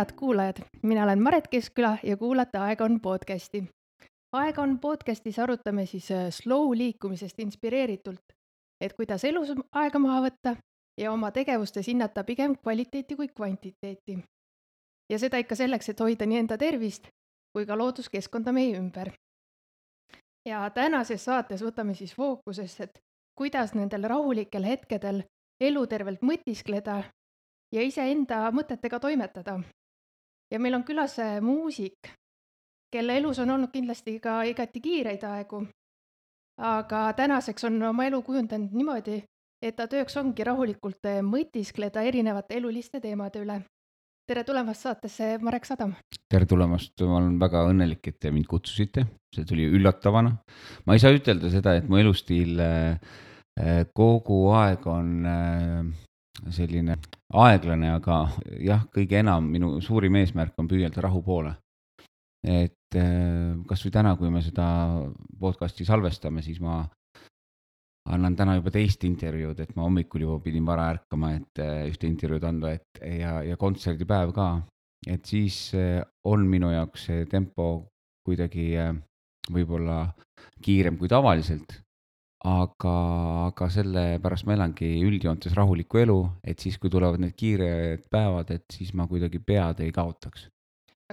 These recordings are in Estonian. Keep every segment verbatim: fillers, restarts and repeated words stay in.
head kuulajad, mina olen Maret Keskküla ja kuulate Aeg on podcasti. Aeg on podcastis arutame siis äh, slow liikumisest inspireeritult, et kuidas elus aega maha võtta ja oma tegevustes hinnata pigem kvaliteeti kui kvantiteeti. Ja seda ikka selleks, et hoida nii enda tervist kui ka looduskeskkonda meie ümber. Ja tänases saates võtame siis fookusesse, et kuidas nendel rahulikel hetkedel elu tervelt mõtiskleda ja iseenda mõtetega toimetada. Ja meil on külas äh, muusik, kelle elus on olnud kindlasti ka igati kiireid aegu, aga tänaseks on oma elu kujundanud niimoodi, et ta tööks ongi rahulikult äh, mõtiskleda erinevate eluliste teemade üle. Tere tulemast saatesse, Marek Sadam! Tere tulemast, ma olen väga õnnelik, et te mind kutsusite, see tuli üllatavana. Ma ei saa ütelda seda, et mu elustiil äh, kogu aeg on äh, selline aeglane, aga jah, kõige enam minu suurim eesmärk on püüelda rahu poole. Et äh, kas või täna, kui me seda podcasti salvestame, siis ma annan täna juba teist intervjuud, et ma hommikul juba pidin vara ärkama, et äh, ühte intervjuud anda et, ja, ja kontserdipäev ka. Et siis äh, on minu jaoks see tempo kuidagi äh, võib-olla kiirem kui tavaliselt, aga, aga selle pärast ma elangi üldjoontes rahulikku elu, et siis kui tulevad need kiired päevad, et siis ma kuidagi pead ei kaotaks.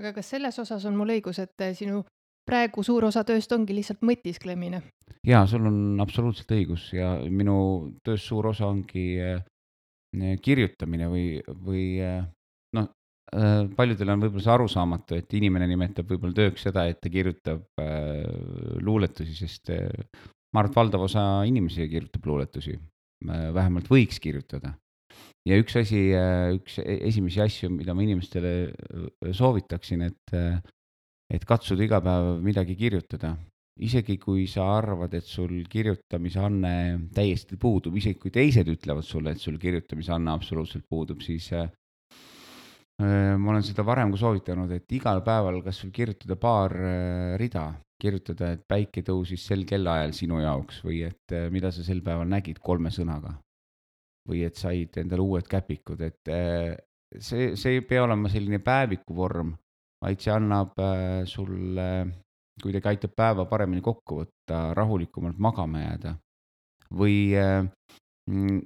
Aga kas selles osas on mul õigus, et äh, sinu praegu suur osa tööst ongi lihtsalt mõtisklemine? Jaa, sul on absoluutselt õigus ja minu töös suur osa ongi äh, kirjutamine või, või äh, noh, äh, paljudel on võib-olla see arusaamatu, et inimene nimetab võib-olla tööks seda, et ta kirjutab äh, luuletusi, sest äh, ma arvan, et valdav osa inimesi kirjutab luuletusi, äh, vähemalt võiks kirjutada. Ja üks asi, äh, üks esimesi asju, mida ma inimestele soovitaksin, et, äh, et katsuda iga päev midagi kirjutada. Isegi kui sa arvad, et sul kirjutamise anne täiesti puudub, isegi kui teised ütlevad sulle, et sul kirjutamise anne absoluutselt puudub, siis äh, ma olen seda varem ka soovitanud, et igal päeval kas sul kirjutada paar äh, rida, kirjutada, et päike tõusis sel kellaajal sinu jaoks või et äh, mida sa sel päeval nägid kolme sõnaga või et said endale uued käpikud, et äh, see, see ei pea olema selline päeviku vorm, vaid see annab äh, sulle kuidagi aitab päeva paremini kokku võtta, rahulikumalt magama jääda. Või äh,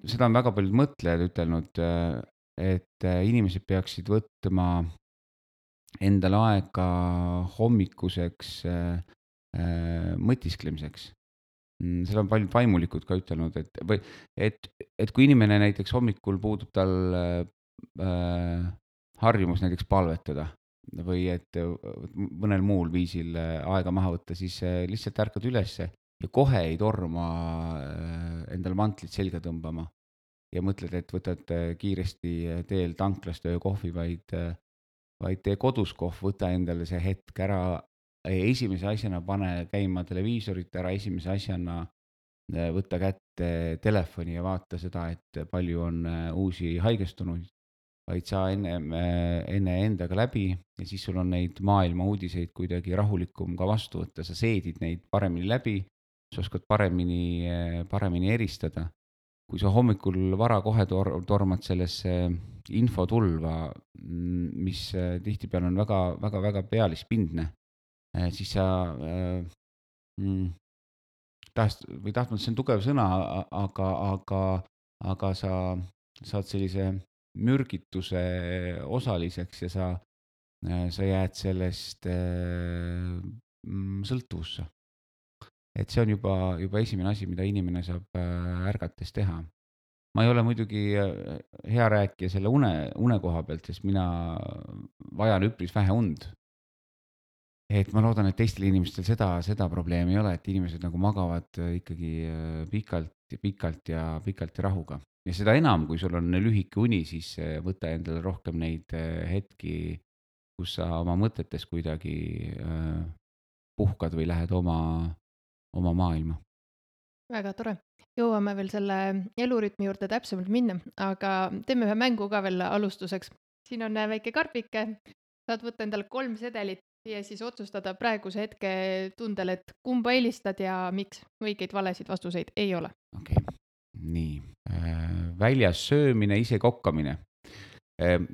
seda on väga paljud mõtlejad ütelnud, äh, et äh, inimesed peaksid võtma endale aega hommikuseks äh, äh, mõtisklemiseks. Seda on paljud vaimulikud ka ütelnud, et, või, et, et kui inimene näiteks hommikul puudub tal äh, harjumus näiteks palvetada, või et mõnel muul viisil aega maha võtta, siis lihtsalt ärkad ülesse ja kohe ei torma endale mantlit selga tõmbama ja mõtled, et võtad kiiresti teel tanklast öö kohvi, vaid, vaid tee kodus kohv, võta endale see hetk ära, esimese asjana pane käima televiisorit ära, esimese asjana võtta kätte telefoni ja vaata seda, et palju on uusi haigestunuid, vaid sa enne, enne endaga läbi ja siis sul on neid maailma uudiseid kuidagi rahulikum ka vastu võtta, sa seedid neid paremini läbi, sa oskad paremini, paremini eristada. Kui sa hommikul vara kohe tor- tormad sellesse infotulva, mis tihtipeale on väga, väga, väga pealispindne, siis sa mm, tahast, või tahtnud, see on tugev sõna, aga, aga, aga sa saad sellise mürgituse osaliseks ja sa, sa jääd sellest sõltuvusse. Et see on juba, juba esimene asi, mida inimene saab ärgates teha. Ma ei ole muidugi hea rääkija selle une, une koha pealt, sest mina vajan üpris vähe und. Et ma loodan, et teistel inimestel seda, seda probleemi ei ole, et inimesed nagu magavad ikkagi pikalt ja pikalt ja pikalt ja rahuga. Ja seda enam, kui sul on lühike uni, siis võta endale rohkem neid hetki, kus sa oma mõtetes kuidagi puhkad või lähed oma, oma maailma. Väga tore. Jõuame veel selle elurütmi juurde täpsemalt minna, aga teeme ühe mängu ka veel alustuseks. Siin on väike karpike, saad võtta endale kolm sedelit ja siis otsustada praeguse hetke tundel, et kumba eelistad ja miks. Õigeid valesid vastuseid ei ole. Okei, okay. Nii. Väljas söömine, ise kokkamine. Ehm,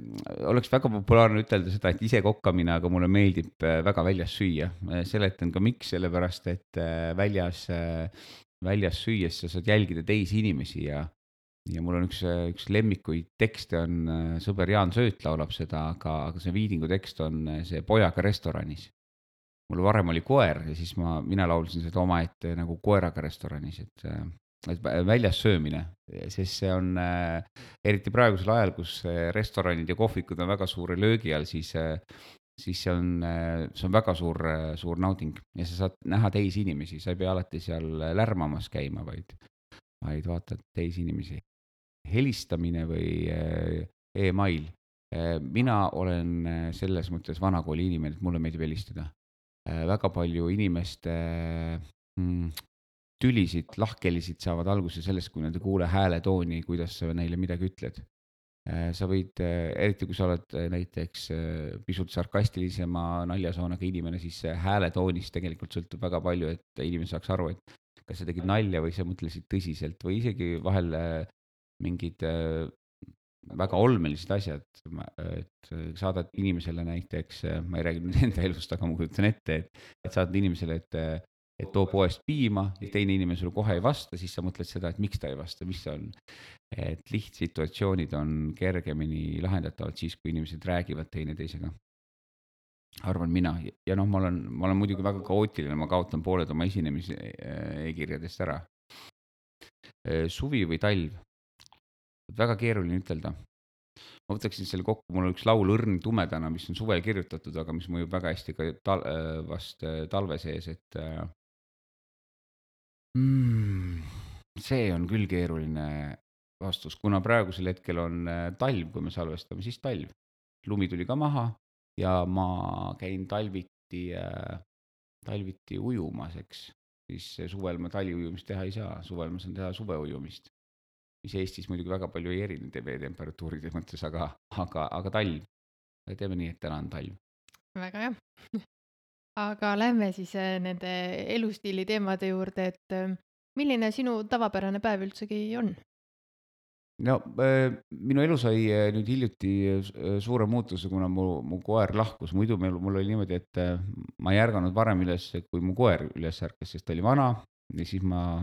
oleks väga populaarne ütelda seda, et ise kokkamine, aga mulle meeldib äh, väga väljas süüa. Seletan ka miks, sellepärast et äh, väljas, äh, väljas süües sa saad jälgida teisi inimesi ja ja mul on üks, äh, üks lemmikuid tekste on, äh, sõber Jaan Sööt laulab seda, aga, aga see Viidingu tekst on äh, see Pojaga restoranis. Mul varem oli koer ja siis ma, mina laulsin seda omaette nagu koeraga restoranis, et, äh, et vä- väljas söömine, sest see on äh, eriti praegusel ajal, kus äh, restoranid ja kohvikud on väga suure löögi all, siis äh, siis see on, äh, see on väga suur, äh, suur nauding ja sa saad näha teisi inimesi, sa ei pea alati seal lärmamas käima, vaid, vaid vaatad teisi inimesi. Helistamine või äh, email. Äh, Mina olen äh, selles mõttes vanakooli inimene, et mulle meeldib helistada. Äh, Väga palju inimeste mm, tülisid, lahkhelisid saavad alguse sellest, kui nad ei kuule hääletooni, kuidas sa neile midagi ütled. Äh, Sa võid, äh, eriti kui sa oled äh, näiteks äh, pisut sarkastilisema naljasoonaga inimene, siis see hääletoonist tegelikult sõltub väga palju, et inimene saaks aru, et kas sa tegid nalja või sa mõtlesid tõsiselt või isegi vahel äh, mingid äh, väga olmelised asjad, et äh, saadad inimesele näiteks, äh, ma ei räägi nüüd enda elust, aga ma kujutan ette, et, et saadad inimesele, et, äh, et too poest piima ja teine inimene sulle kohe ei vasta, siis sa mõtled seda, et miks ta ei vasta, mis see on. Et lihtsituatsioonid on kergemini lahendatavad siis, kui inimesed räägivad teineteisega. Arvan mina ja noh, ma olen, ma olen muidugi väga kaootiline, ma kaotan pooled oma esinemise äh, e-kirjadest ära. Äh, Suvi või talv, väga keeruline ütelda. Ma võtaksin selle kokku, mul on üks laul Õrn tumedana, mis on suvel kirjutatud, aga mis mõjub väga hästi ka tal-, äh, vast äh, talve sees, et äh, mm, see on küll keeruline vastus, kuna praegusel hetkel on äh, talv, kui me salvestame, siis talv. Lumi tuli ka maha ja ma käin talviti, äh, talviti ujumas, eks. Siis äh, suvel ma taliujumist teha ei saa, suvel ma saan teha suveujumist, mis Eestis muidugi väga palju ei erine veetemperatuuride mõttes, aga, aga, aga talv. Teeme nii, et täna on talv. väga hea. Aga lähme siis äh, nende elustiili teemade juurde, et äh, milline sinu tavapärane päev üldsegi on? No äh, minu elu sai äh, nüüd hiljuti äh, suure muutuse, kuna mu, mu koer lahkus. Muidu meil, mul oli niimoodi, et äh, ma ei ärganud varem üles, kui mu koer üles ärkas, sest ta oli vana ja siis ma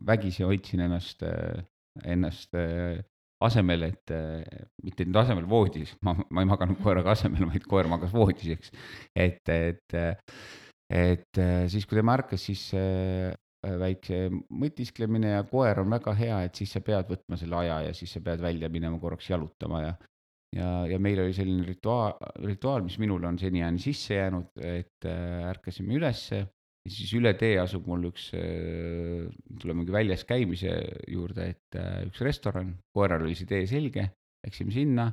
vägisi hoidsin ennast, äh, ennast äh, asemel, et äh, mitte nüüd asemel voodis, ma, ma ei maganud koeraga asemel, vaid koer magas voodis, eks. Et, et, äh, et äh, siis, kui tema ärkas, siis äh, väikse mõtisklemine ja koer on väga hea, et siis sa pead võtma selle aja ja siis sa pead välja minema korraks jalutama ja ja, ja meil oli selline rituaal, rituaal, mis minule on seniajani sisse jäänud, et äh, ärkasime ülesse ja siis üle tee asub mul üks, äh, tulemegi väljas käimise juurde, et äh, üks restoran, koeral oli see tee selge, läksime sinna.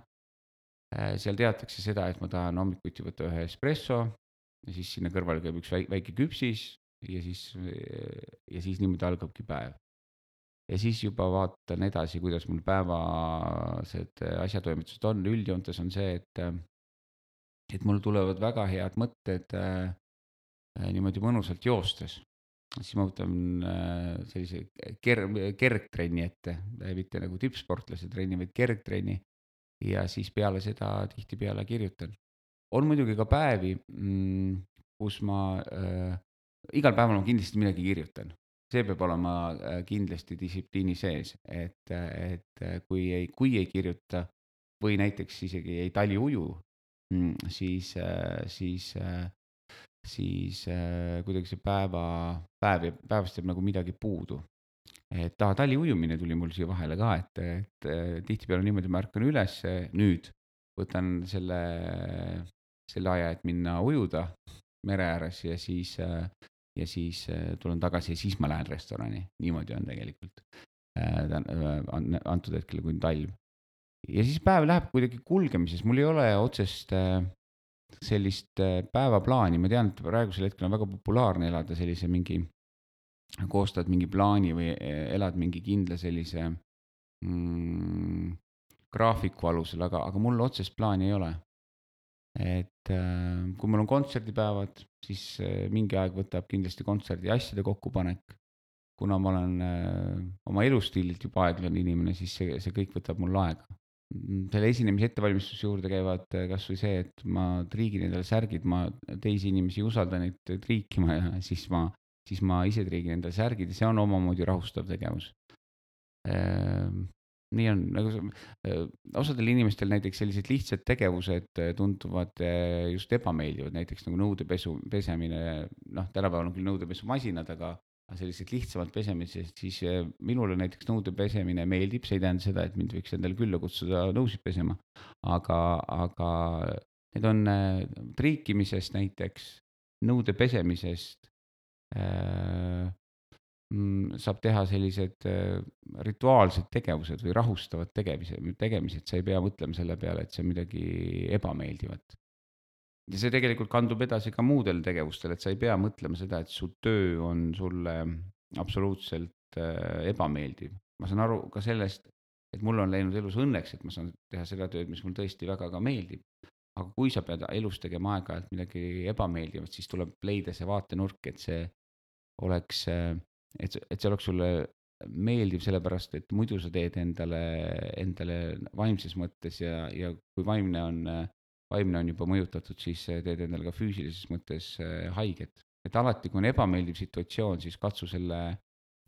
Äh, Seal teatakse seda, et ma tahan hommikuti võtta ühe espresso ja siis sinna kõrvale käib üks väike, väike küpsis ja siis, ja siis niimoodi algabki päev. Ja siis juba vaatan edasi, kuidas mul päevased asjatoimetused on. Üldjoontes on see, et, et mul tulevad väga head mõtted äh, niimoodi mõnusalt joostes. Siis ma võtan äh, sellise ker-, kergtrenni ette, mitte nagu tippsportlase trenni, vaid kergtrenni. Ja siis peale seda tihtipeale kirjutan. On muidugi ka päevi, mm, kus ma äh, igal päeval ma kindlasti midagi kirjutan. See peab olema äh, kindlasti distsipliini sees, et, et äh, kui ei, kui ei kirjuta või näiteks isegi ei taliuju, mm, siis, äh, siis, äh, siis äh, kuidagi see päeva, päev, päevast jääb nagu midagi puudu. Et ta taliujumine tuli mul siia vahele ka, et, et äh, tihtipeale on niimoodi, ma ärkan üles nüüd, võtan selle, selle aja, et minna ujuda mere ääres ja siis äh, ja siis äh, tulen tagasi ja siis ma lähen restorani. Niimoodi on tegelikult äh, äh, antud hetkel, kui on talv. Ja siis päev läheb kuidagi kulgemises, mul ei ole otsest äh, sellist äh, päevaplaani, ma tean, et praegusel hetkel on väga populaarne elada sellise mingi, koostad mingi plaani või äh, elad mingi kindla sellise mm, graafiku alusel, aga, aga mul otsest plaani ei ole. Et äh, kui mul on kontserdipäevad, siis äh, mingi aeg võtab kindlasti kontserdi asjade kokkupanek. Kuna ma olen äh, oma elustiililt juba aeglane inimene, siis see, see kõik võtab mul aega. mm, selle esinemise ettevalmistuse juurde käivad äh, kas või see, et ma triigin endale särgid, ma teisi inimesi ei usalda neid triikima ja siis ma, siis ma ise triigin endale särgid ja see on omamoodi rahustav tegevus. Ehm, nii on, nagu see, äh, osadel inimestel näiteks sellised lihtsad tegevused äh, tunduvad äh, just ebameeldivad, näiteks nagu nõudepesu, pesemine, noh, tänapäeval on küll nõudepesumasinad, aga aga sellised lihtsamalt pesemised, siis äh, minule näiteks nõude pesemine meeldib, see ei tähenda seda, et mind võiks endale külla kutsuda nõusid pesema, aga, aga need on äh, triikimisest näiteks, nõude pesemisest äh, mm, saab teha sellised äh, rituaalsed tegevused või rahustavad tegemised, tegemised, sa ei pea mõtlema selle peale, et see on midagi ebameeldivat. Ja see tegelikult kandub edasi ka muudele tegevustele, et sa ei pea mõtlema seda, et su töö on sulle absoluutselt äh, ebameeldiv. Ma saan aru ka sellest, et mul on läinud elus õnneks, et ma saan teha seda tööd, mis mul tõesti väga ka meeldib. Aga kui sa pead elus tegema aeg-ajalt midagi ebameeldivat, siis tuleb leida see vaatenurk, et see oleks, et see, et see oleks sulle meeldiv, sellepärast et muidu sa teed endale, endale vaimses mõttes ja, ja kui vaimne on, vaimne on juba mõjutatud, siis teed endale ka füüsilises mõttes haiget. Et alati, kui on ebameeldiv situatsioon, siis katsu selle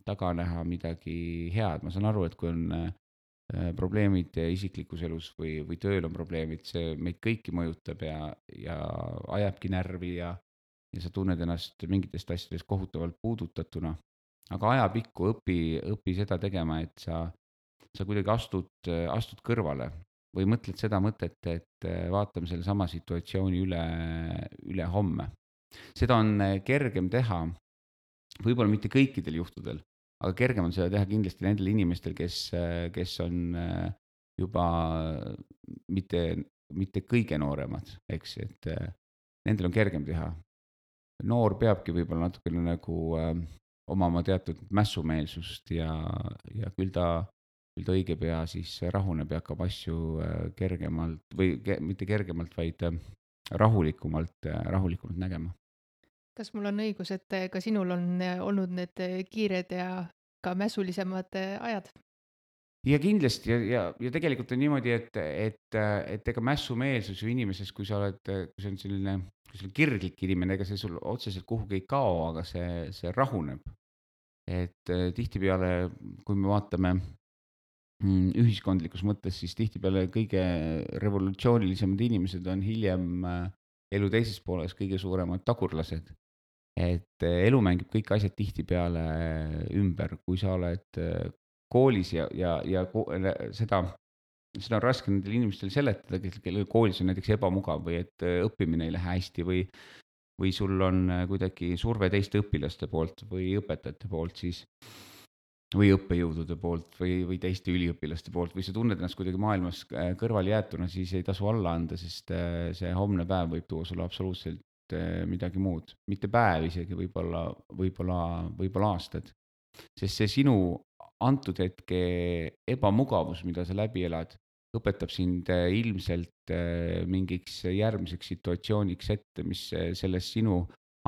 taga näha midagi head. Ma saan aru, et kui on äh, probleemid isiklikus elus või, või tööl on probleemid, see meid kõiki mõjutab ja, ja ajabki närvi ja, ja sa tunned ennast mingitest asjadest kohutavalt puudutatuna. Aga ajapikku õpi, õpi seda tegema, et sa, sa kuidagi astud, astud kõrvale või mõtled seda mõtet, et vaatame selle sama situatsiooni üle, üle homme. Seda on kergem teha, võib-olla mitte kõikidel juhtudel, aga kergem on seda teha kindlasti nendel inimestel, kes, kes on juba mitte, mitte kõige nooremad, eks, et nendel on kergem teha. Noor peabki võib-olla natukene nagu äh, omama teatud mässumeelsust ja, ja küll ta, küll ta õige pea siis rahuneb ja hakkab asju äh, kergemalt või ke, mitte kergemalt, vaid äh, rahulikumalt äh,, rahulikumalt nägema. Kas mul on õigus, et äh, ka sinul on äh, olnud need äh, kiired ja ka mässulisemad äh, ajad? Ja kindlasti ja, ja, ja tegelikult on niimoodi, et, et, et ega mässumeelsus ju inimeses, kui sa oled, kui see on selline, kui sul on kirglik inimene, ega see sul otseselt kuhugi ei kao, aga see, see rahuneb. Et eh, tihtipeale, kui me vaatame mm, ühiskondlikus mõttes, siis tihtipeale kõige revolutsioonilisemad inimesed on hiljem eh, elu teises pooles kõige suuremad tagurlased. Et eh, elu mängib kõik asjad tihtipeale ümber, kui sa oled eh, koolis ja, ja, ja ko- seda, seda on raske nendel inimestel seletada, kes- kellel koolis on näiteks ebamugav või et eh, õppimine ei lähe hästi või, või sul on eh, kuidagi surve teiste õpilaste poolt või õpetajate poolt, siis või õppejõudude poolt või, või teiste üliõpilaste poolt või sa tunned ennast kuidagi maailmas äh, kõrvalejäetuna, siis ei tasu alla anda, sest äh, see homne päev võib tuua sulle absoluutselt äh, midagi muud. Mitte päev isegi, võib-olla, võib-olla, võib-olla aastad. Sest see sinu antud hetke ebamugavus, mida sa läbi elad, õpetab sind äh, ilmselt äh, mingiks järgmiseks situatsiooniks ette, mis äh, selles sinu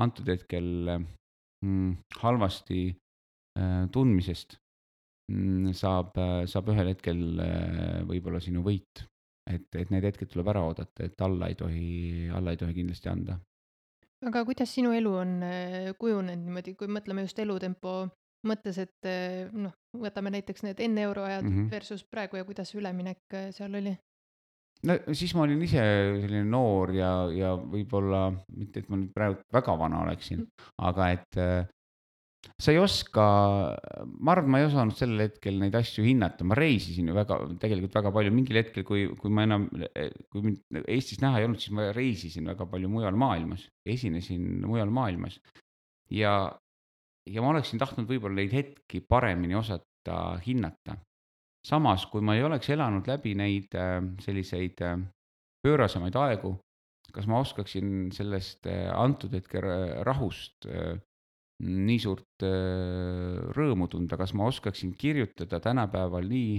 antud hetkel äh, mm, halvasti äh, tundmisest mm, saab, äh, saab ühel hetkel äh, võib-olla sinu võit. Et, et need hetked tuleb ära oodata, et alla ei tohi, alla ei tohi kindlasti anda. Aga kuidas sinu elu on äh, kujunenud niimoodi, kui mõtleme just elutempo mõttes, et äh, noh, võtame näiteks need enne euroajad Mm -hmm. versus praegu ja kuidas üleminek äh, seal oli? No siis ma olin ise selline noor ja, ja võib-olla mitte, et ma nüüd praegu väga vana oleksin, aga et äh, sa ei oska, ma arvan, ma ei osanud sellel hetkel neid asju hinnata, ma reisisin ju väga, tegelikult väga palju, mingil hetkel, kui, kui ma enam, kui mind Eestis näha ei olnud, siis ma reisisin väga palju mujal maailmas, esinesin mujal maailmas. ja, ja ma oleksin tahtnud võib-olla neid hetki paremini osata hinnata. Samas, kui ma ei oleks elanud läbi neid äh, selliseid äh, pöörasemaid aegu, kas ma oskaksin sellest äh, antud hetke ra- rahust äh, nii suurt äh, rõõmu tunda, kas ma oskaksin kirjutada tänapäeval nii,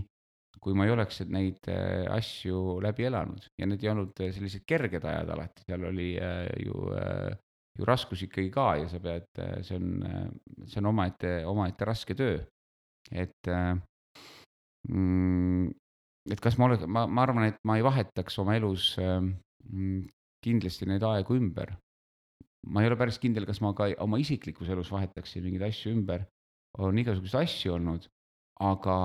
kui ma ei oleks neid äh, asju läbi elanud ja need ei olnud äh, sellised kerged ajad alati, seal oli äh, ju, äh, ju raskus ikkagi ka ja sa pead, see on, see on omaette, omaette raske töö. et äh, mm, et kas ma ole ma ma arvan, et ma ei vahetaks oma elus, ähm, mm, kindlasti neid aegu ümber. Ma ei ole päris kindel, kas ma ka oma isiklikus elus vahetaksin mingeid asju ümber. On igasuguseid asju olnud, aga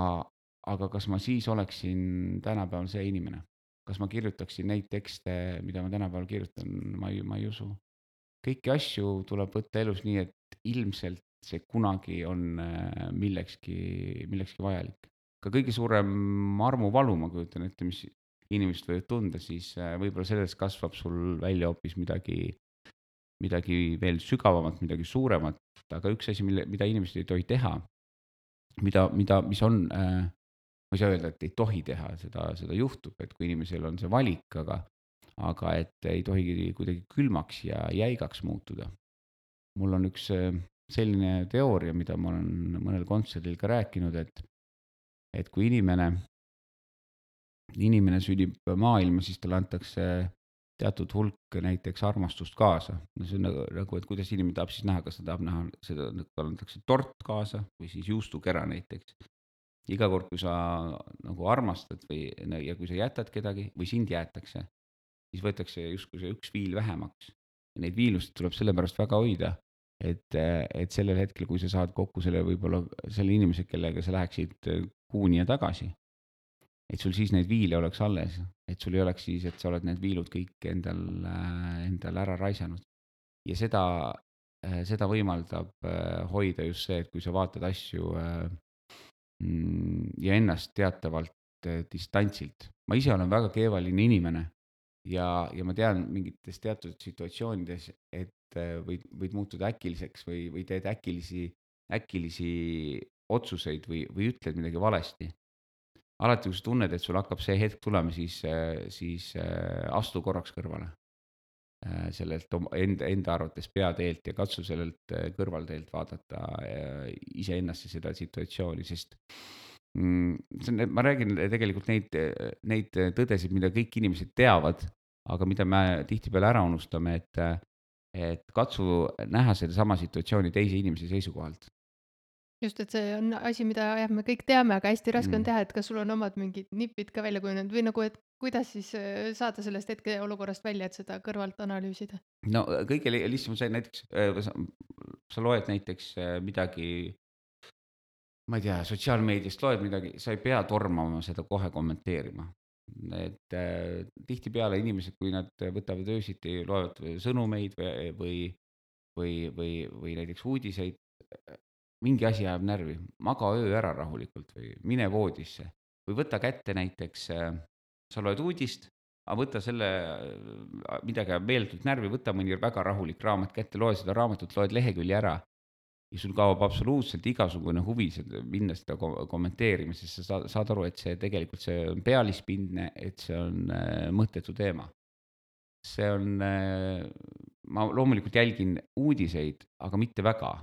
aga kas ma siis oleksin tänapäeval see inimene? Kas ma kirjutaksin neid tekste, mida ma tänapäeval kirjutan? Ma ei ma ei usu. Kõiki asju tuleb võtta elus nii, et ilmselt see kunagi on äh, millekski millekski vajalik. Ka kõige suurem armuvalu, ma kujutan ette, mis inimesed võivad tunda, siis äh, võib-olla sellest kasvab sul välja hoopis midagi midagi veel sügavamat, midagi suuremat, aga üks asi, mille mida inimesed ei tohi teha, mida mida mis on äh, ma ei saa öelda, et ei tohi teha, seda seda juhtub, et kui inimesel on see valik, aga aga et ei tohi kuidagi külmaks ja jäigaks muutuda. Mul on üks äh, selline teooria, mida ma olen mõnel kontserdil ka rääkinud, et et kui inimene inimene sünnib maailma, siis talle antakse teatud hulk näiteks armastust kaasa. No see on nagu, nagu, et kuidas inimene tahab siis näha, kas ta tahab näha seda, et talle antakse tort kaasa või siis juustukera näiteks. Iga kord, kui sa nagu armastad või ja kui sa jätad kedagi või sind jäetakse, siis võetakse justkui see üks viil vähemaks. Ja neid viilusid tuleb sellepärast väga hoida, et, et sellel hetkel, kui sa saad kokku selle võib-olla selle inimese, kellega sa läheksid kuuni ja tagasi, et sul siis neid viile oleks alles, et sul ei oleks siis, et sa oled need viilud kõik endal, endal ära raisanud. Ja seda, seda võimaldab hoida just see, et kui sa vaatad asju ja ennast teatavalt distantsilt. Ma ise olen väga keevaline inimene ja, ja ma tean mingites teatud situatsioonides, et võid, võid muutuda äkiliseks või, või teed äkilisi, äkilisi otsuseid või, või ütled midagi valesti. Alati, kui sa tunned, et sul hakkab see hetk tulema, siis, siis astu korraks kõrvale sellelt enda, enda arvates peateelt ja katsu sellelt kõrvalteelt vaadata iseennasse seda situatsiooni, sest mm, see on, ma räägin tegelikult neid, neid tõdesid, mida kõik inimesed teavad, aga mida me tihtipeale ära unustame, et, et katsu näha sedasama situatsiooni teise inimese seisukohalt. Just, et see on asi, mida jah, me kõik teame, aga hästi raske on Mm. teha, et kas sul on omad mingid nipid ka välja kujunenud või nagu, et kuidas siis äh, saada sellest hetkeolukorrast välja, et seda kõrvalt analüüsida? No kõige li- lihtsam on see näiteks, äh, sa, sa loed näiteks äh, midagi, ma ei tea, sotsiaalmeediast loed midagi, sa ei pea tormama seda kohe kommenteerima. Et äh, tihtipeale inimesed, kui nad võtavad öösiti, loevad sõnumeid või, või, või, või, või näiteks uudiseid, mingi asi ajab närvi, maga öö ära rahulikult või mine voodisse või võta kätte näiteks, sa loed uudist, aga võta selle, midagi ajab meeletult närvi, võta mõni väga rahulik raamat kätte, loe seda raamatut, loed lehekülje ära ja sul kaob absoluutselt igasugune huvi seda, minna seda kommenteerima, sest sa saad, saad aru, et see tegelikult see on pealispindne, et see on mõttetu teema. See on, ma loomulikult jälgin uudiseid, aga mitte väga.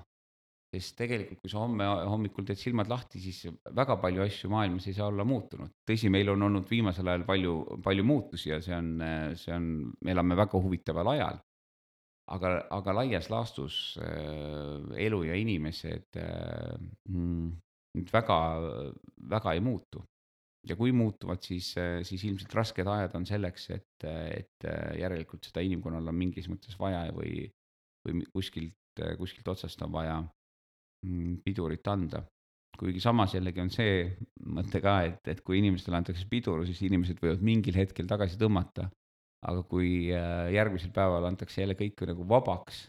Sest tegelikult, kui sa homme hommikul teed silmad lahti, siis väga palju asju maailmas ei saa olla muutunud. Tõsi, meil on olnud viimasel ajal palju, palju muutusi ja see on, see on, me elame väga huvitaval ajal. Aga, aga laias laastus äh, elu ja inimesed äh, mm, väga, väga ei muutu. Ja kui muutuvad, siis, siis ilmselt rasked ajad on selleks, et, et järelikult seda inimkonnal on mingis mõttes vaja või, või kuskilt, kuskilt otsast on vaja pidurit anda. Kuigi samas jällegi on see mõte ka, et, et kui inimestele antakse pidur, siis inimesed võivad mingil hetkel tagasi tõmmata. Aga kui järgmisel päeval antakse jälle kõik nagu vabaks,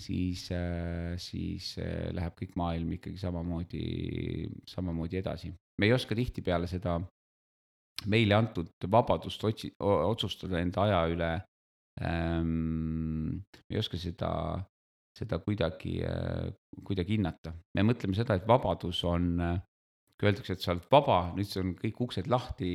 siis, siis läheb kõik maailm ikkagi samamoodi, samamoodi edasi. Me ei oska tihtipeale seda meile antud vabadust otsi, otsustada enda aja üle. Me ei oska seda seda kuidagi, kuidagi hinnata. Me mõtleme seda, et vabadus on, kui öeldakse, et sa oled vaba, nüüd see on kõik uksed lahti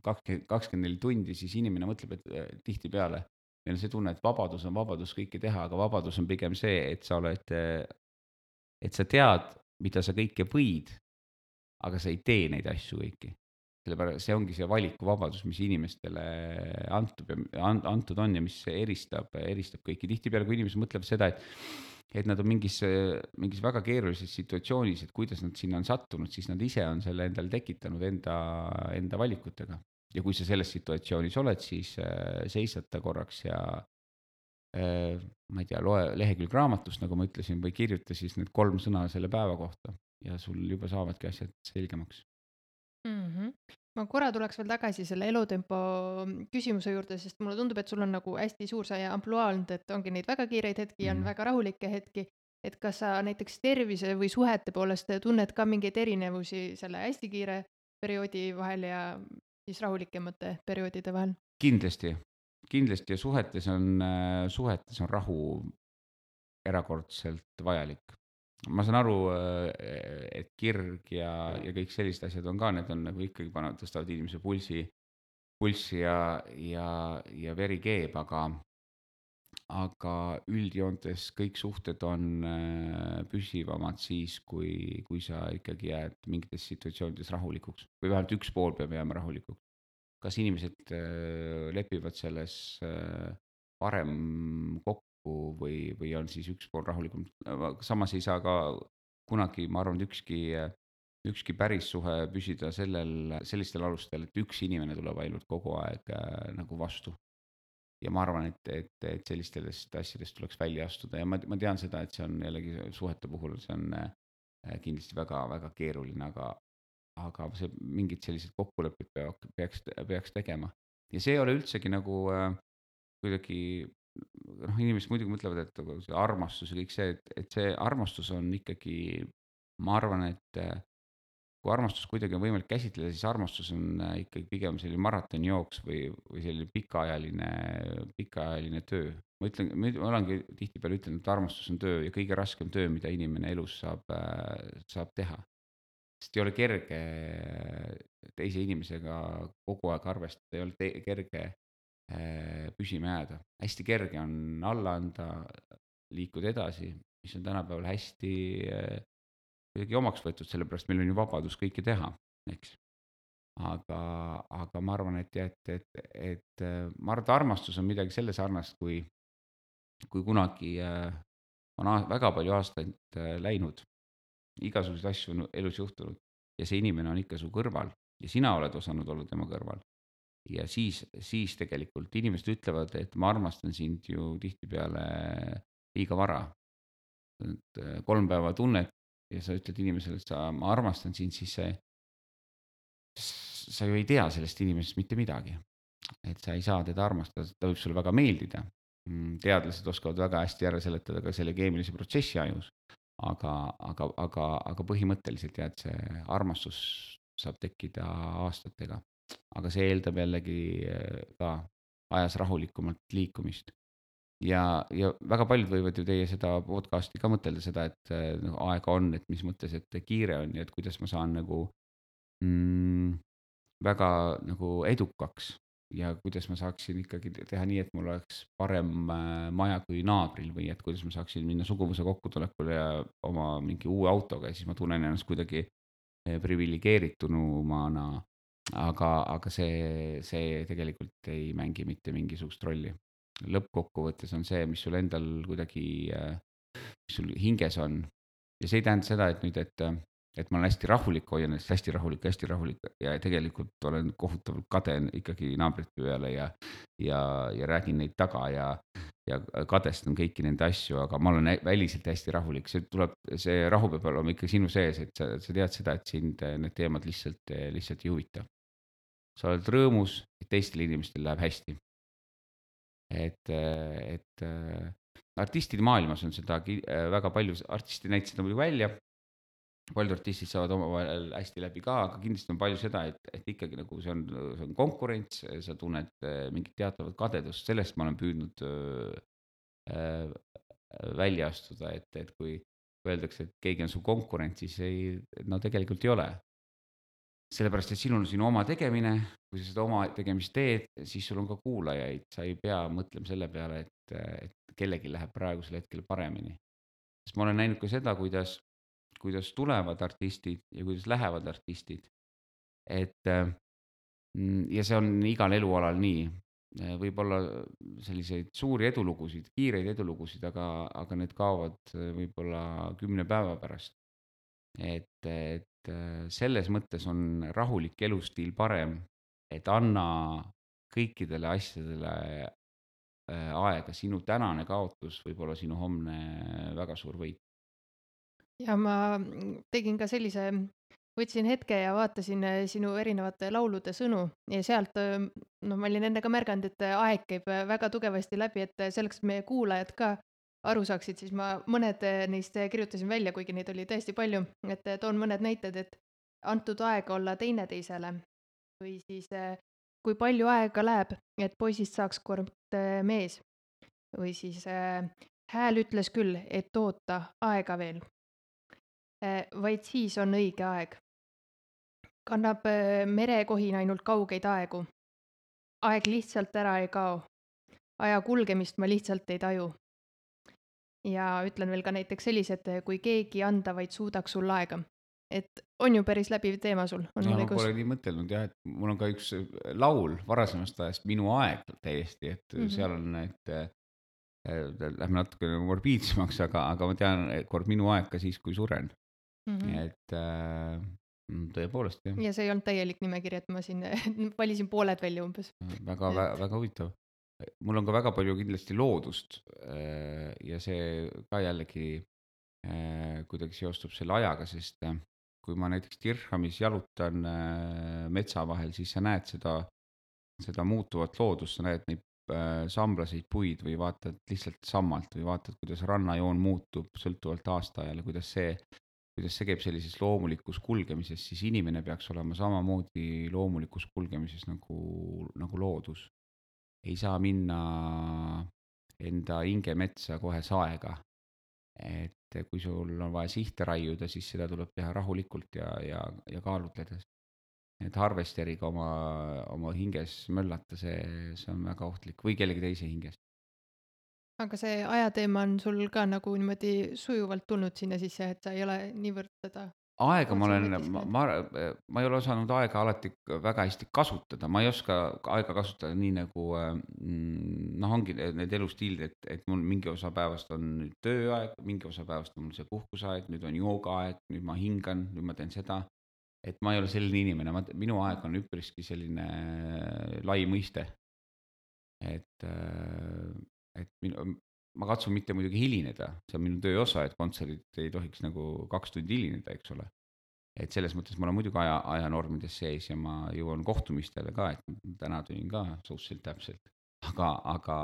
kakskümmend, kakskümmend neli tundi, siis inimene mõtleb, et tihtipeale meil on see tunne, et vabadus on vabadus kõike teha, aga vabadus on pigem see, et sa oled, et sa tead, mida sa kõike võid, aga sa ei tee neid asju kõiki. Sellepärast see ongi see valikuvabadus, mis inimestele antud, antud on ja mis eristab, eristab kõiki. Tihtipeale, kui inimesed mõtlevad seda, et et nad on mingis, mingis väga keerulises situatsioonis, et kuidas nad sinna on sattunud, siis nad ise on selle endale tekitanud enda, enda valikutega. Ja kui sa selles situatsioonis oled, siis äh, seisata korraks ja äh, ma ei tea, loe lehekülg raamatust, nagu ma ütlesin, või kirjuta siis need kolm sõna selle päeva kohta ja sul juba saavadki asjad selgemaks. Mhm. Ma korra tuleks veel tagasi selle elutempo küsimuse juurde, sest mulle tundub, et sul on nagu hästi suur see ampluaa olnud, et ongi neid väga kiireid hetki ja on Mhm. väga rahulikke hetki. Et kas sa näiteks tervise või suhete poolest tunned ka mingeid erinevusi selle hästi kiire perioodi vahel ja siis rahulikemate perioodide vahel? Kindlasti, kindlasti ja suhetes on, suhetes on rahu erakordselt vajalik. Ma saan aru, et kirg ja, ja kõik sellised asjad on ka, need on nagu ikkagi panevad, tõstavad inimese pulsi, pulssi ja, ja, ja veri keeb, aga, aga üldjoontes kõik suhted on äh, püsivamad siis, kui, kui sa ikkagi jääd mingites situatsioonides rahulikuks või vähemalt üks pool peab jääma rahulikuks. Kas inimesed äh, lepivad selles äh, varem kokku või, või on siis üks pool rahulikum. Samas ei saa ka kunagi, ma arvan, et ükski, ükski päris suhe püsida sellel, sellistel alustel, et üks inimene tuleb ainult kogu aeg äh, nagu vastu. Ja ma arvan, et, et, et sellistest asjadest tuleks välja astuda ja ma, ma tean seda, et see on jällegi suhete puhul, see on äh, kindlasti väga-väga keeruline, aga aga see mingid sellised kokkulepped peavad, peaks, peaks tegema. Ja see ei ole üldsegi nagu äh, kuidagi, noh, inimesed muidugi mõtlevad, et nagu see armastus ja kõik see, et, et see armastus on ikkagi, ma arvan, et äh, kui armastust kuidagi on võimalik käsitleda, siis armastus on äh, ikkagi pigem selline maratonijooks või, või selline pikaajaline, pikaajaline töö. Ma ütlen, ma olengi tihtipeale ütelnud, et armastus on töö ja kõige raskem töö, mida inimene elus saab, äh, saab teha. Sest ei ole kerge teise inimesega kogu aeg arvestada, ei ole te kerge äh, püsima jääda. Hästi kerge on alla anda, liikuda edasi, mis on tänapäeval hästi äh, kuidagi omaks võetud, sellepärast meil on ju vabadus kõike teha, eks. Aga, aga ma arvan, et jah, et, et, et äh, ma arvan, et armastus on midagi selle sarnast, kui, kui kunagi äh, on a- väga palju aastaid äh, läinud, igasuguseid asju on elus juhtunud ja see inimene on ikka su kõrval ja sina oled osanud olla tema kõrval. Ja siis, siis tegelikult inimesed ütlevad, et ma armastan sind ju tihtipeale liiga vara. Et äh, kolm päeva tunned ja sa ütled inimesele, et sa, ma armastan sind, siis see, sa ju ei tea sellest inimesest mitte midagi. Et sa ei saa teda armastada, ta võib sulle väga meeldida. Mm, teadlased oskavad väga hästi ära seletada ka selle keemilise protsessi ajus. Aga, aga, aga, aga põhimõtteliselt jah, et see armastus saab tekkida aastatega. Aga see eeldab jällegi äh, ka ajas rahulikumalt liikumist. Ja, ja väga paljud võivad ju teie seda podcast'i ka mõtelda seda, et äh, noh, aega on, et mis mõttes, et kiire on ja et kuidas ma saan nagu mm, väga nagu edukaks ja kuidas ma saaksin ikkagi te- teha nii, et mul oleks parem äh, maja kui naabril või et kuidas ma saaksin minna suguvõsa kokkutulekule ja oma mingi uue autoga ja siis ma tunnen ennast kuidagi eh, priviligeeritunumana. Aga, aga see, see tegelikult ei mängi mitte mingisugust rolli. Lõppkokkuvõttes on see, mis sul endal kuidagi, äh, mis sul hinges on. Ja see ei tähenda seda, et nüüd, et, äh, et ma olen hästi rahulik, hoian ennast hästi rahulik, hästi rahulik ja tegelikult olen kohutavalt kade ikkagi naabrite peale ja, ja, ja räägin neid taga ja, ja kadestan kõiki nende asju, aga ma olen hä- väliselt hästi rahulik, see tuleb, see rahu peab olema ikka sinu sees, et sa, sa tead seda, et sind äh, need teemad lihtsalt, lihtsalt ei huvita. Sa oled rõõmus, et teistel inimestel läheb hästi. Et, et äh, artistide maailmas on seda ki- äh, väga palju, artistid näitasid seda muidugi välja, paljud artistid saavad omavahel hästi läbi ka, aga kindlasti on palju seda, et, et ikkagi nagu see on, see on konkurents, sa tunned äh, mingit teatavat kadedust, sellest ma olen püüdnud äh, äh, välja astuda, et, et kui öeldakse, et keegi on su konkurent, siis ei, no tegelikult ei ole. Sellepärast, et sinul on sinu oma tegemine, kui sa seda oma tegemist teed, siis sul on ka kuulajaid, sa ei pea mõtlema selle peale, et, et kellelgi läheb praegusel hetkel paremini. Sest ma olen näinud ka seda, kuidas, kuidas tulevad artistid ja kuidas lähevad artistid. Et mm, ja see on igal elualal nii, äh, võib-olla selliseid suuri edulugusid, kiireid edulugusid, aga, aga need kaovad äh, võib-olla kümne päeva pärast. Et, et äh, selles mõttes on rahulik elustiil parem, et anna kõikidele asjadele äh, aega, sinu tänane kaotus võib olla sinu homne väga suur võit. ja ma mm, tegin ka sellise, võtsin hetke ja vaatasin äh, sinu erinevate laulude sõnu ja sealt, äh, noh, ma olin enne ka märganud, et äh, aeg käib äh, väga tugevasti läbi, et äh, selleks, et meie kuulajad ka aru saaksid, siis ma mõned äh, neist äh, kirjutasin välja, kuigi neid oli tõesti palju, et äh, toon mõned näited, et antud aega olla teineteisele või siis äh, kui palju aega läheb, et poisist saaks kord äh, mees või siis äh, hääl ütles küll, et oota aega veel. Äh, vaid siis on õige aeg. Kannab äh, merekohin ainult kaugeid aegu. Aeg lihtsalt ära ei kao. Aja kulgemist ma lihtsalt ei taju. Ja ütlen veel ka näiteks sellised, kui keegi anda vaid suudaks sul aega. Et on ju päris läbiv teema sul, on no mul ma õigus? pole nii mõtelnud jah, et mul on ka üks äh, laul varasemast ajast, Minu aeg täiesti, et Mhm. seal on need äh, lähme natuke morbiidsemaks, aga, aga ma tean, et kord minu aeg ka siis, kui suren. Mhm. Et äh, mm, tõepoolest jah, Ja see ei olnud täielik nimekiri, et ma siin valisin pooled välja umbes. väga, Et väga, väga huvitav. mul on ka väga palju kindlasti loodust äh, ja see ka jällegi äh, kuidagi seostub selle ajaga, sest äh, kui ma näiteks Dirhamis jalutan äh, metsa vahel, siis sa näed seda, seda muutuvat loodust, sa näed neid äh, samblaseid puid või vaatad lihtsalt sammalt või vaatad, kuidas rannajoon muutub sõltuvalt aastaajale, kuidas see, kuidas see käib sellises loomulikus kulgemises, siis inimene peaks olema samamoodi loomulikus kulgemises nagu, nagu loodus. Ei saa minna enda hingemetsa kohe saega. Et kui sul on vaja sihte raiuda, siis seda tuleb teha rahulikult ja, ja, ja kaalutledes. Et harvesteriga oma, oma hinges möllata, see, see on väga ohtlik või kellegi teise hinges. aga see ajateema on sul ka nagu niimoodi sujuvalt tulnud sinna sisse, et sa ei ole niivõrd seda Aega ma otse olen, ma, mõtisklenud? ma, ma ei ole osanud aega alati k- väga hästi kasutada, ma ei oska aega kasutada nii nagu äh, mm, noh, ongi need need elustiilid, et, et mul mingi osa päevast on nüüd tööaeg, mingi osa päevast on mul see puhkuseaeg, nüüd on joogaaeg, nüüd ma hingan, nüüd ma teen seda. Et ma ei ole selline inimene, ma, minu aeg on üpriski selline äh, lai mõiste. Et, äh, et minu, ma katsun mitte muidugi hilineda, see on minu töö osa, et kontserdid ei tohiks nagu kaks tundi hilineda, eks ole. Et selles mõttes ma olen muidugi aja, ajanormides sees ja ma jõuan kohtumistele ka, et täna tulin ka suhteliselt täpselt. Aga, aga,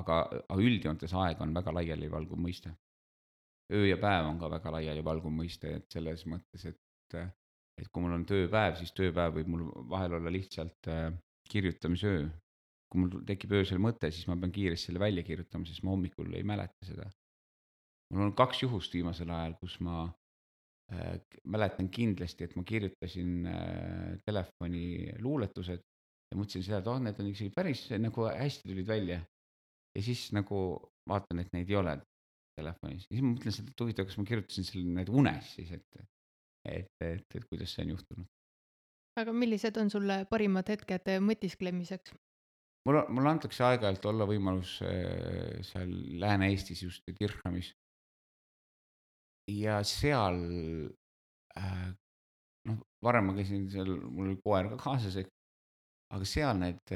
aga, aga üldjoontes aeg on väga laialivalguv mõiste. Öö ja päev on ka väga laialivalguv mõiste, et selles mõttes, et, et kui mul on tööpäev, siis tööpäev võib mul vahel olla lihtsalt äh, kirjutamisöö. Kui mul tekib öösel mõte, siis ma pean kiiresti selle välja kirjutama, sest ma hommikul ei mäleta seda. Mul on kaks juhust viimasel ajal, kus ma äh, mäletan kindlasti, et ma kirjutasin äh, telefoni luuletused ja mõtlesin seda, et oh, need on isegi päris nagu hästi tulid välja. Ja siis nagu vaatan, et neid ei ole telefonis. Ja siis ma mõtlen seda, et huvitav, kas ma kirjutasin selle need unes siis, et, et, et, et kuidas see on juhtunud. aga millised on sulle parimad hetked äh, mõtisklemiseks? Mul, mulle antakse aeg-ajalt olla võimalus äh, seal Lääne-Eestis just Dirhamis. Ja seal äh, noh, varem ma käisin seal, mul oli koer ka kaasas, aga seal need,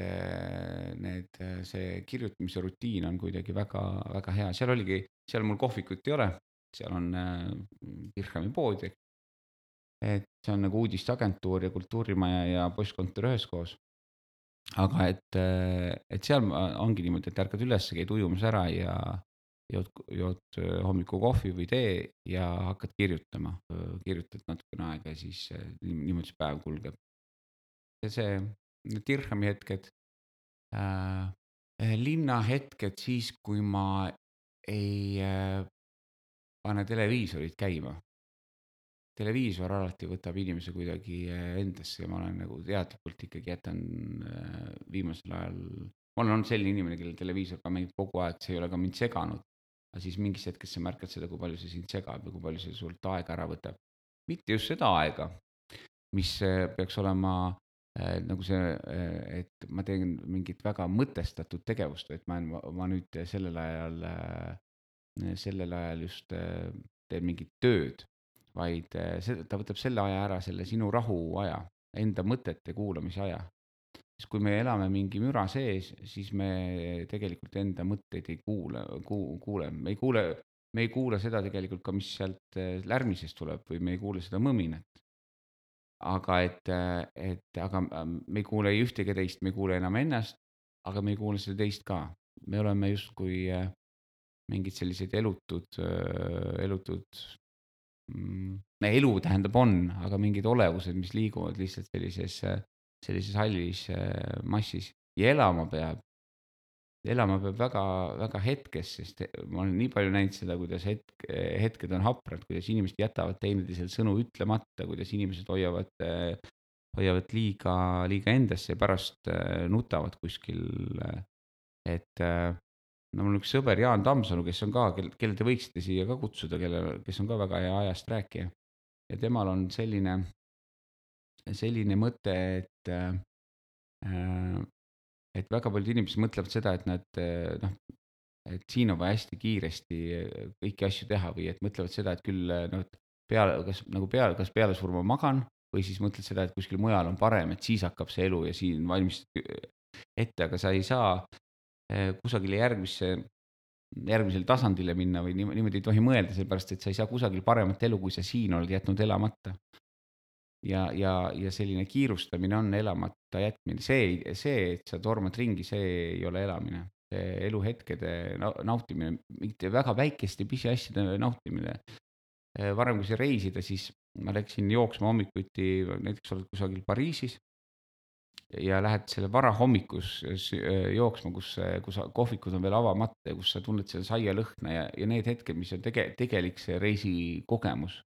need, see kirjutamise rutiin on kuidagi väga, väga hea, seal oligi, seal mul kohvikut ei ole, seal on äh, Dirhami pood, et see on nagu uudisteagentuur ja kultuurimaja ja postkontor üheskoos. aga et, et seal ongi niimoodi, et ärkad üles, käid ujumas ära ja jood, jood hommikul kohvi või tee ja hakkad kirjutama, kirjutad natukene aega ja siis niimoodi see päev kulgeb. ja see Dirhami hetked äh,, linnahetked siis, kui ma ei äh, pane televiisorit käima. Televiisor alati võtab inimese kuidagi äh, endasse ja ma olen nagu teadlikult ikkagi jätan äh, viimasel ajal, ma olen olnud selline inimene, kellel televiisor ka mängib kogu aeg, see ei ole ka mind seganud. Aga siis mingis hetkes sa märkad seda, kui palju see sind segab ja kui palju see sult aega ära võtab. Mitte just seda aega, mis äh, peaks olema äh, nagu see, äh, et ma teen mingit väga mõtestatud tegevust, et ma, ma, ma nüüd sellel ajal, äh, sellel ajal just äh, teen mingit tööd, vaid äh, see, ta võtab selle aja ära, selle sinu rahuaja, enda mõtete kuulamise aja. Siis kui me elame mingi müra sees, siis me tegelikult enda mõtteid ei kuule, kuu, kuule, me ei kuule, me ei kuule seda tegelikult ka, mis sealt äh, lärmisest tuleb või me ei kuule seda mõminat. Aga et, äh, et aga ähm, me ei kuule ei ühtegi teist, me ei kuule enam ennast, aga me ei kuule seda teist ka. Me oleme justkui äh, mingid sellised elutud, äh, elutud, mm, elu tähendab on, aga mingid olevused, mis liiguvad lihtsalt sellises, äh, sellises hallis äh, massis ja elama peab. Elama peab väga, väga hetkes, sest he- ma olen nii palju näinud seda, kuidas hetk, hetked on haprad, kuidas inimesed jätavad teineteisele sõnu ütlemata, kuidas inimesed hoiavad, äh, hoiavad liiga, liiga endasse ja pärast äh, nutavad kuskil. äh, Et äh, no mul on üks sõber Jaan Tammsalu, kes on ka, kel, kelle te võiksite siia ka kutsuda, kelle, kes on ka väga hea ajast rääkija. Ja temal on selline, selline mõte, et äh, äh, et väga paljud inimesed mõtlevad seda, et nad äh, noh, et siin on vaja hästi kiiresti äh, kõiki asju teha või et mõtlevad seda, et küll äh, noh, et peale, kas nagu peale, kas peale surma magan või siis mõtled seda, et kuskil mujal on parem, et siis hakkab see elu ja siin valmistad ette, aga sa ei saa äh, kusagile järgmisse, järgmisele tasandile minna või niimoodi, niimoodi ei tohi mõelda, sellepärast et sa ei saa kusagil paremat elu, kui sa siin oled jätnud elamata. Ja, ja, ja selline kiirustamine on elamata jätmine, see, see, et sa tormad ringi, see ei ole elamine, see eluhetkede nau- nautimine, mingite väga väikeste pisiasjade nautimine. Eh, varem, kui sa reisida, siis ma läksin jooksma hommikuti, näiteks oled kusagil Pariisis ja lähed selle varahommikus s- eh, jooksma, kus, kus kohvikud on veel avamata ja kus sa tunned selle saialõhna ja, ja need hetked, mis on tege, tegelik see reisikogemus,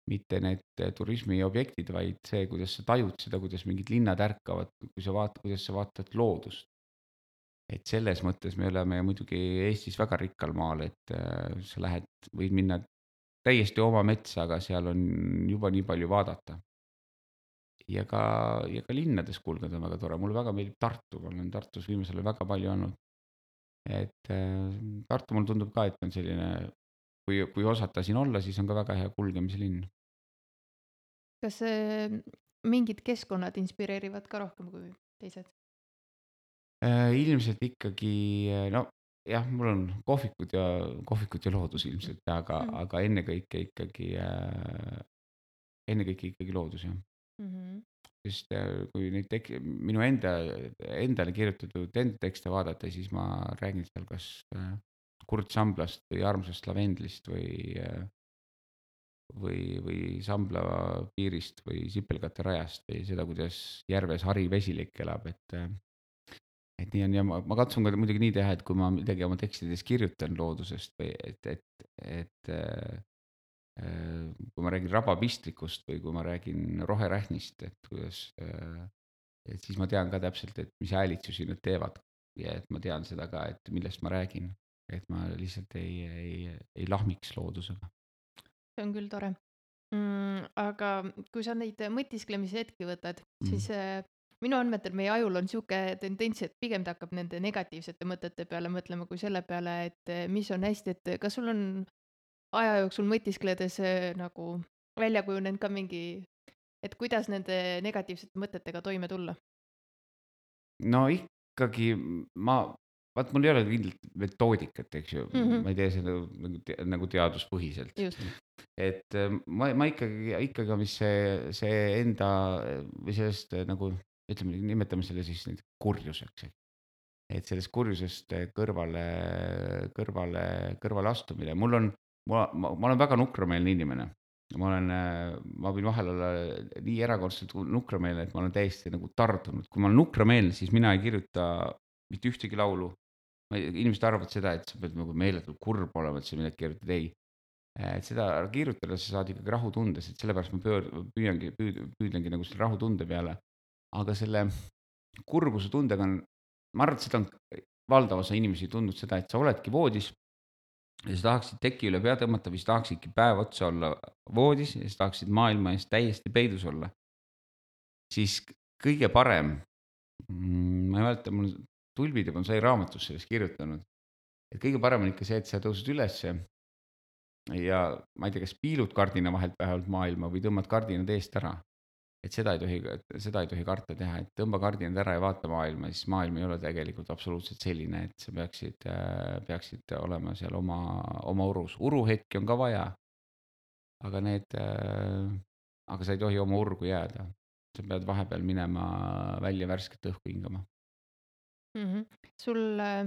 mitte need eh, turismiobjektid, vaid see, kuidas sa tajud seda, kuidas mingid linnad ärkavad, kui sa vaatad, kuidas sa vaatad loodust. Et selles mõttes me oleme muidugi Eestis väga rikkal maal, et äh, sa lähed, võid minna täiesti oma metsa, aga seal on juba nii palju vaadata. Ja ka, ja ka linnades kulgeda on väga tore, mulle väga meeldib Tartu, ma olen Tartus viimasel ajal väga palju olnud. Et äh, Tartu mulle tundub ka, et on selline, kui, kui osata siin olla, siis on ka väga hea kulgemise linn. kas äh, mingid keskkonnad inspireerivad ka rohkem kui teised? Äh, ilmselt ikkagi, äh, no jah, mul on kohvikud ja, kohvikud ja loodus ilmselt, aga, Mhm. aga ennekõike ikkagi äh,, ennekõike ikkagi loodus jah. Mhm. Sest äh, kui neid tek-, minu enda, endale kirjutatud enda tekste vaadata, siis ma räägin seal kas äh, Kurt Samblast või Armsast lavendlist või äh, või, või Sambla piirist või Sipelgate rajast või seda, kuidas järves harivesilik elab, et äh, et nii on ja ma, ma katsun ka muidugi nii teha, et kui ma midagi oma tekstides kirjutan loodusest või et, et, et äh, äh, kui ma räägin rabapistikust või kui ma räägin roherähnist, et kuidas äh, et siis ma tean ka täpselt, et mis häälitsusi nad teevad ja et ma tean seda ka, et millest ma räägin, et ma lihtsalt ei, ei, ei lahmiks loodusega. see on küll tore. Mm, aga kui sa neid mõtisklemise hetki võtad, Mm. siis äh, minu andmetel meie ajul on sihuke tendents, et pigem ta hakkab nende negatiivsete mõtete peale mõtlema kui selle peale, et äh, mis on hästi, et kas sul on aja jooksul mõtiskledes äh, nagu välja kujunenud ka mingi, et kuidas nende negatiivsete mõtetega toime tulla? No ikkagi ma, vaat mul ei ole kindlat metoodikat, eks ju, Mhm. ma ei tee seda nagu, te- nagu teaduspõhiselt. Just. et äh, ma, ma ikkagi, ikkagi on vist see, see enda äh, või sellest äh, nagu ütleme, nimetame selle siis nüüd kurjuseks, eks. Et sellest kurjusest äh, kõrvale, kõrvale, kõrvale astumine, mul on, ma, ma, ma olen väga nukrameelne inimene. Ma olen, äh, ma võin vahel olla nii erakordselt nukrameelne, et ma olen täiesti nagu tardunud. Kui ma olen nukrameelne, siis mina ei kirjuta mitte ühtegi laulu. Ma ei- Inimesed arvavad seda, et sa pead nagu meeletult kurb olema, et sa midagi kirjutad, ei. Et seda kirjutada sa saad ikkagi rahutundes, et sellepärast ma pöör-, püüangi, püüd-, püüdlengi nagu selle rahutunde peale. Aga selle kurbuse tundega on, ma arvan, et seda on valdav osa inimesi tundnud seda, et sa oledki voodis ja sa tahaksid teki üle pea tõmmata või sa tahaksidki päev otsa olla voodis ja sa tahaksid maailma eest täiesti peidus olla. Siis kõige parem, mm, ma ei mäleta, mul Tulbid juba sai raamatus sellest kirjutanud, et kõige parem on ikka see, et sa tõused ülesse ja ma ei tea, kas piilud kardina vahelt vähemalt maailma või tõmbad kardinad eest ära. Et seda ei tohi, seda ei tohi karta teha, et tõmba kardinad ära ja vaata maailma, siis maailm ei ole tegelikult absoluutselt selline, et sa peaksid, peaksid olema seal oma, oma urus. Uruhetki on ka vaja, aga need, aga sa ei tohi oma urgu jääda. Sa pead vahepeal minema välja värsket õhku hingama. mm. -hmm. sul äh,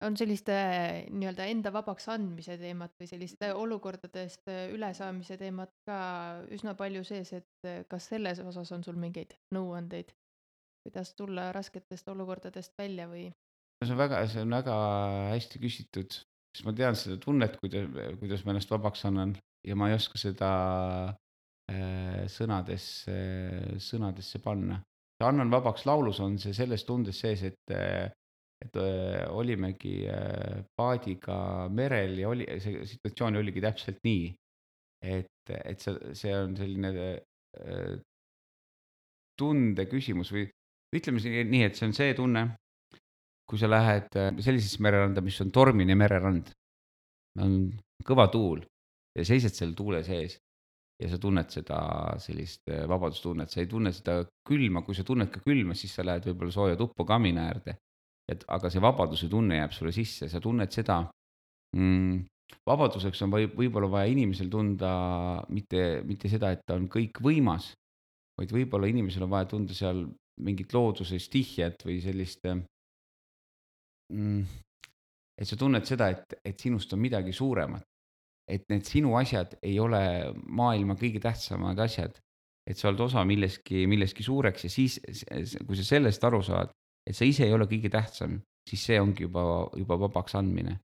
on selliste nii-öelda enda vabaks andmise teemat või selliste olukordadest äh, ülesaamise teemat ka üsna palju sees, et äh, kas selles osas on sul mingeid nõuandeid, kuidas tulla rasketest olukordadest välja või? see on väga, see on väga hästi küsitud, sest ma tean seda tunnet, kuidas, kuidas ma ennast vabaks annan ja ma ei oska seda äh, sõnadesse, sõnadesse panna. Annan vabaks laulus on see selles tundes sees, et, et äh, olimegi äh, paadiga merel ja oli, see situatsioon oligi täpselt nii, et, et see, see on selline äh, tunde küsimus või ütleme nii, et see on see tunne, kui sa lähed sellisesse mereranda, mis on tormine mererand, on kõva tuul ja seised seal tuule sees ja sa tunned seda sellist vabadustunnet, sa ei tunne seda külma, kui sa tunned ka külma, siis sa lähed võib-olla sooja tuppa kamina äärde. Et aga see vabaduse tunne jääb sulle sisse, sa tunned seda mm,, vabaduseks on või, võib-olla vaja inimesel tunda mitte, mitte seda, et ta on kõikvõimas, vaid võib-olla inimesel on vaja tunda seal mingit looduse stihjat või sellist mm, et sa tunned seda, et, et sinust on midagi suuremat, et need sinu asjad ei ole maailma kõige tähtsamad asjad, et sa oled osa milleski, milleski suureks ja siis, kui sa sellest aru saad, et sa ise ei ole kõige tähtsam, siis see ongi juba, juba vabaks andmine.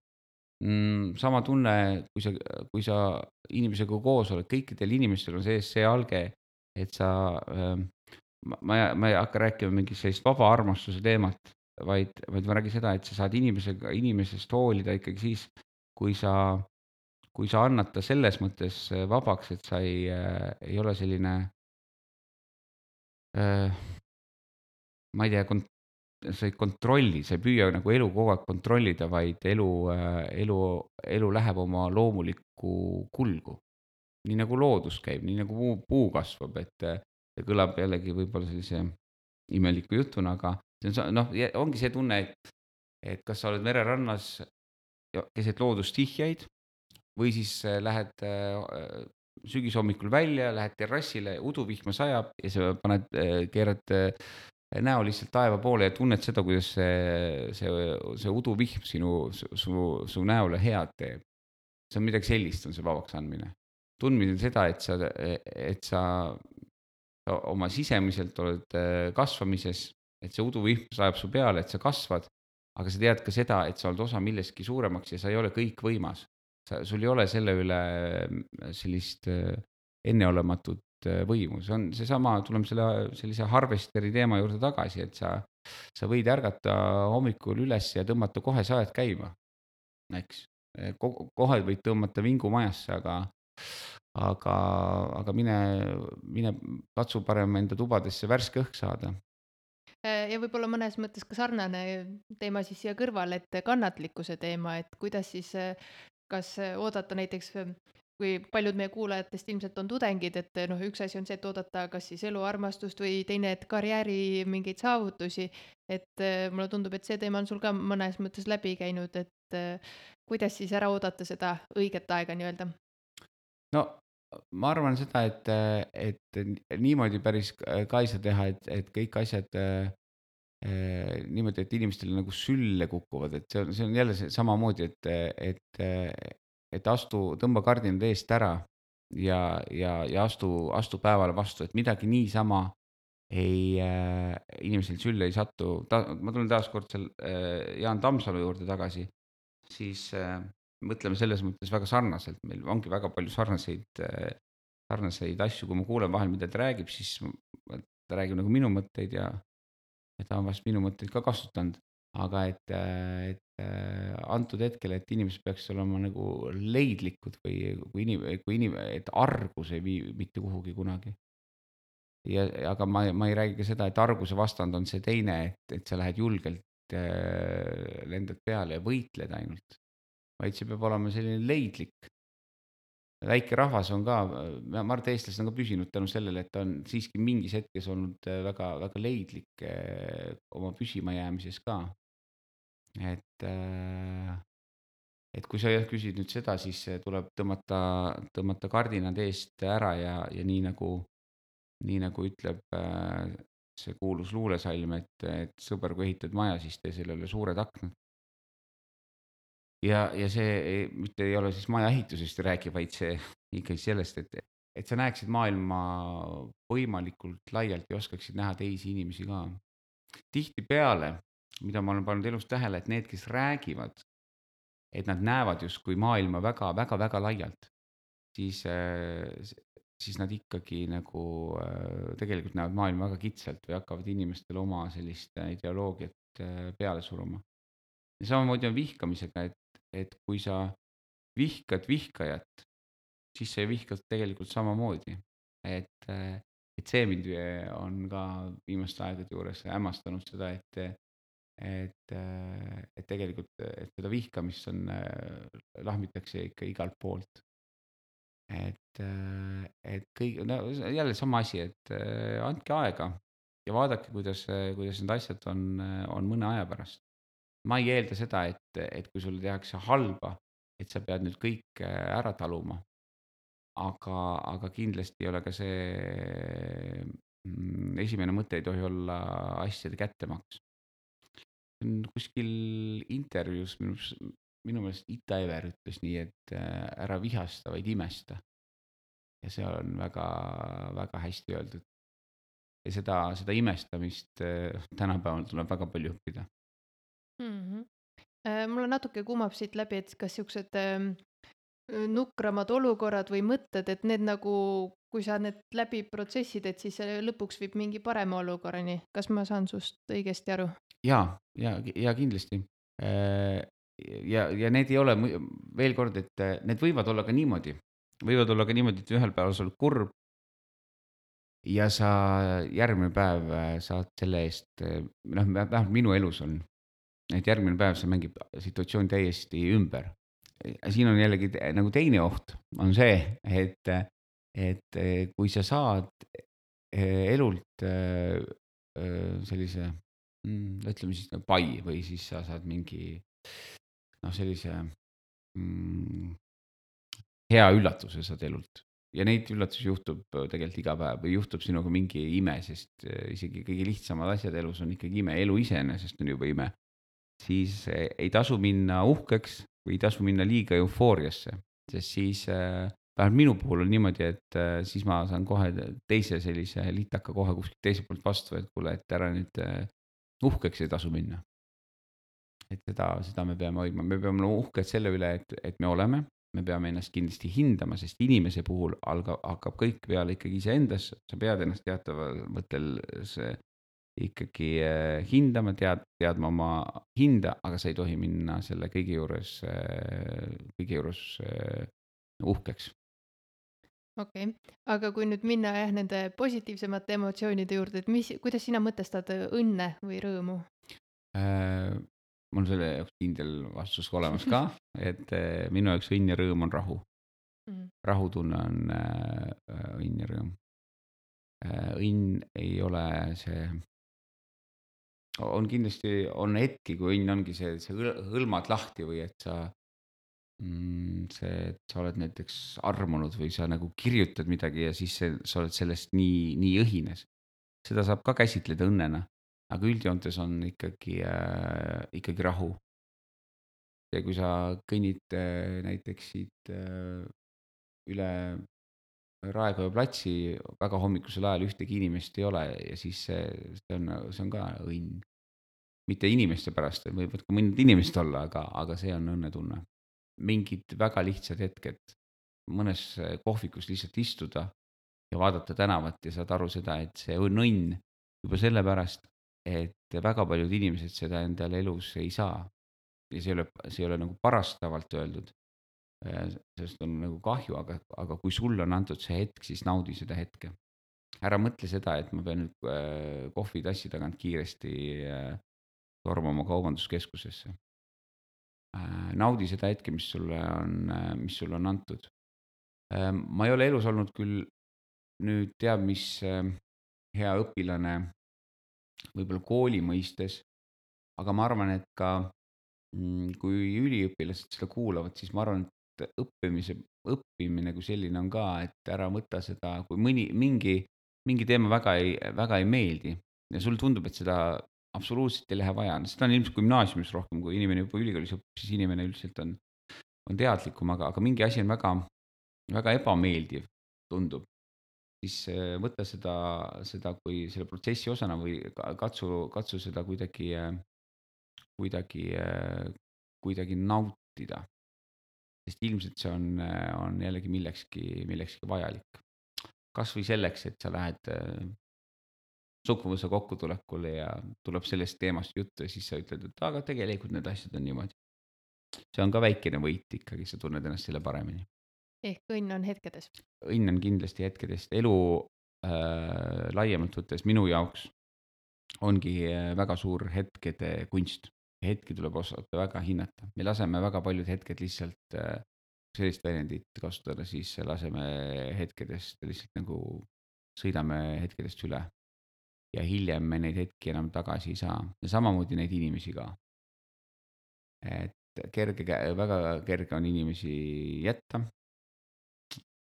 Mm, sama tunne, kui sa, kui sa inimesega koos oled, kõikidel inimestel on sees see alge, et sa, ma, ma, ma ei hakka rääkima mingit sellist vaba armastuse teemat, vaid, vaid ma räägin seda, et sa saad inimesega, inimesest hoolida ikkagi siis, kui sa, kui sa annad ta selles mõttes vabaks, et sa ei, ei ole selline, ma ei tea, kont-, sa ei kontrolli, sa ei püüa nagu elu kogu aeg kontrollida, vaid elu, elu, elu läheb oma loomulikku kulgu. Nii nagu loodus käib, nii nagu puu, puu kasvab, et see kõlab jällegi võib-olla sellise imeliku jutuna, aga see on, noh, ongi see tunne, et, et kas sa oled mererannas keset loodustihjaid või siis lähed sügishommikul välja, lähed terrassile, uduvihma sajab ja sa paned, keerad näo lihtsalt taeva poole ja tunned seda, kuidas see, see, see uduvihm sinu, su, su näole head teeb. See on midagi sellist, on see vabaks andmine. Tundmine seda, et sa, et sa oma sisemiselt oled kasvamises, et see uduvihm sajab su peale, et sa kasvad, aga sa tead ka seda, et sa oled osa millestki suuremaks ja sa ei ole kõikvõimas. Sa, sul ei ole selle üle sellist enneolematut võimu. See on seesama, tuleme selle sellise harvesteri teema juurde tagasi, et sa, sa võid ärgata hommikul üles ja tõmmata kohe sajad käima, eks. Kohe võid tõmmata vingu majasse, aga aga, aga mine, mine katsu parem enda tubadesse värske õhk saada. Ja võib-olla mõnes mõttes ka sarnane teema siis siia kõrvale, et kannatlikkuse teema, et kuidas siis, kas oodata näiteks, kui paljud meie kuulajatest ilmselt on tudengid, et noh, üks asi on see, et oodata kas siis eluarmastust või teine, et karjääri mingeid saavutusi, et mulle tundub, et see teema on sul ka mõnes mõttes läbi käinud, et kuidas siis ära oodata seda õiget aega nii-öelda? No ma arvan seda, et, et niimoodi päris ka ei saa teha, et, et kõik asjad äh, niimoodi, et inimestele nagu sülle kukuvad, et see on, see on jälle see samamoodi, et, et, et astu, tõmba kardinad eest ära ja, ja, ja astu, astu päevale vastu, et midagi niisama ei äh,, inimesel sülle ei satu. Ta, ma tulen taas kord seal äh, Jaan Tammsalu juurde tagasi, siis äh, mõtleme selles mõttes väga sarnaselt, meil ongi väga palju sarnaseid, sarnaseid asju, kui ma kuulen vahel, mida ta räägib, siis ta räägib nagu minu mõtteid ja, ja ta on vast minu mõtteid ka kasutanud, aga et, et antud hetkel, et inimesed peaks olema nagu leidlikud või kui inim-, kui inim-, et argus ei vii mitte kuhugi kunagi. ja aga ma ei ma ei räägi ka seda, et arguse vastand on see teine, et et sa lähed julgelt, äh, lendad peale ja võitled ainult, vaid see peab olema selline leidlik. Väike rahvas on ka, ma ma arvan, et eestlased on ka püsinud tänu sellele, et ta on siiski mingis hetkes olnud äh, väga väga leidlik äh, oma püsimajäämises ka. Et äh, et kui sa jah küsid nüüd seda, siis äh, tuleb tõmmata tõmmata kardinad eest ära ja ja nii nagu nii nagu ütleb äh, see kuulus luulesalm, et et sõber, kui ehitad maja, siis tee sellele suured aknad. Ja ja see ei mitte ei ole siis maja ehitusest rääkiv, vaid see ikkagi sellest, et et sa näeksid maailma võimalikult laialt ja oskaksid näha teisi inimesi ka. Tihtipeale, mida ma olen pannud elus tähele, et need, kes räägivad, et nad näevad justkui maailma väga väga väga laialt, siis äh, s siis nad ikkagi nagu äh, tegelikult näevad maailma väga kitsalt või hakkavad inimestele oma sellist äh, ideoloogiat äh, peale suruma. Ja samamoodi on vihkamisega, et et kui sa vihkad vihkajat, siis sa ju vihkad tegelikult samamoodi. Et äh, et see mind äh, on ka viimaste aegade juures hämmastanud seda, et et äh, et tegelikult, et seda vihkamist on äh, lahmitakse ikka igalt poolt. Et äh, et kõik no jälle sama asi, et äh, andke aega ja vaadake, kuidas kuidas need asjad on on mõne aja pärast. Ma ei eelda seda, et et kui sulle tehakse halba, et sa pead nüüd kõik ära taluma. Aga aga kindlasti ei ole ka see mm, esimene mõte ei tohi olla asjade kättemaks. Mm, Kuskil intervjuus minu s minu meelest Ita Ever ütles nii, et äh, ära vihasta, vaid imesta. Ja see on väga väga hästi öeldud. Ja seda seda imestamist äh, tänapäeval tuleb väga palju õppida. Mhm. Äh, mulle natuke kumab siit läbi, et kas siuksed ähm, äh, nukramad olukorrad või mõtted, et need nagu, kui sa need läbi protsessid, et siis see lõpuks viib mingi parema olukorrani. Kas ma saan sust õigesti aru? Jaa, ja ja kindlasti. Äh, ja ja need ei ole mui veel kord, et äh, need võivad olla ka niimoodi võivad olla ka niimoodi, et ühel päeval sa oled kurb ja sa järgmine päev äh, saad selle eest, äh, noh, vähemalt minu elus on, et järgmine päev see mängib situatsiooni täiesti ümber. Siin on jällegi te nagu teine oht, on see, et et äh, kui sa saad äh, elult äh, äh, sellise mm, ütleme siis nagu pai või siis sa saad mingi noh, sellise mm, hea üllatuse saad elult. Ja neid üllatusi juhtub äh, tegelikult iga päev või juhtub sinuga mingi ime, sest äh, isegi kõige lihtsamad asjad elus on ikkagi ime, elu iseenesest on juba ime. Siis äh, ei tasu minna uhkeks või ei tasu minna liiga eufooriasse, sest siis äh, vähemalt minu puhul on niimoodi, et äh, siis ma saan kohe teise sellise litaka kohe kuskilt teiselt poolt vastu, et kuule, et ära nüüd äh, uhkeks ei tasu minna. Et seda seda me peame hoidma, me peame olema uhked selle üle, et et me oleme, me peame ennast kindlasti hindama, sest inimese puhul alga hakkab kõik peale ikkagi iseendas, sa pead ennast teataval mõttel see ikkagi äh, hindama, tead teadma oma hinda, aga sa ei tohi minna selle kõige juures äh, kõige juures äh, uhkeks. Okei. Aga kui nüüd minna jah, nende positiivsemate emotsioonide juurde, et mis, kuidas sina mõtestad äh, õnne või rõõmu? Äh, Mul on selle jaoks kindel vastus olemas ka, et äh, minu jaoks õnn ja rõõm on rahu. Mhm. Rahutunne on äh, äh, õnn ja rõõm. Äh, õnn ei ole see, on kindlasti, on hetki, kui õnn ongi see, see hõl- hõlmad lahti või et sa mm, see, et sa oled näiteks armunud või sa nagu kirjutad midagi ja siis see, sa oled sellest nii, nii õhines. Seda saab ka käsitleda õnnena, aga üldjoontes on ikkagi äh,, ikkagi rahu. Ja kui sa kõnnid äh, näiteks siit äh, üle Raekoja platsi väga hommikusel ajal ühtegi inimest ei ole ja siis see, see on, see on ka õnn. Mitte inimeste pärast, võivad ka mõned inimesed olla, aga, aga see on õnnetunne. Mingid väga lihtsad hetked, mõnes kohvikus lihtsalt istuda ja vaadata tänavat ja saad aru seda, et see on õnn juba sellepärast, et väga paljud inimesed seda endale elus ei saa. Ja see ei ole, see ei ole nagu parastavalt öeldud, äh, sest on nagu kahju, aga, aga kui sulle on antud see hetk, siis naudi seda hetke. ära mõtle seda, et ma pean nüüd äh, kohvitassi tagant kiiresti äh, tormama kaubanduskeskusesse. Äh, naudi seda hetke, mis sulle on, mis sulle on antud. Äh, ma ei ole elus olnud küll nüüd teab, mis äh, hea õpilane võib-olla kooli mõistes, aga ma arvan, et ka mm, kui üliõpilased seda kuulavad, siis ma arvan, et õppimise, õppimine kui selline on ka, et ära võta seda, kui mõni, mingi, mingi teema väga ei, väga ei meeldi ja sulle tundub, et seda absoluutselt ei lähe vaja. Seda on ilmselt gümnaasiumis rohkem, kui inimene juba ülikoolis õpib, siis inimene üldiselt on, on teadlikum, aga, aga mingi asi on väga, väga ebameeldiv, tundub, siis äh, võta seda, seda kui selle protsessi osana või ka- katsu, katsu seda kuidagi, äh, kuidagi, äh, kuidagi nautida. Sest ilmselt see on, äh, on jällegi millekski, millekski vajalik. Kas või selleks, et sa lähed äh, suguvõsa kokkutulekule ja tuleb sellest teemast juttu ja siis sa ütled, et aga tegelikult need asjad on niimoodi. See on ka väikene võit ikkagi, sa tunned ennast selle paremini. ehk õnn on hetkedes. Õnn on kindlasti hetkedest, elu äh, laiemalt võttes minu jaoks ongi äh, väga suur hetkede kunst. Hetki tuleb osata väga hinnata. Me laseme väga paljud hetked lihtsalt äh, sellist väljendit kasutada, siis laseme hetkedest lihtsalt nagu sõidame hetkedest üle. Ja hiljem me neid hetki enam tagasi ei saa ja samamoodi neid inimesi ka. Et kerge, väga kerge on inimesi jätta,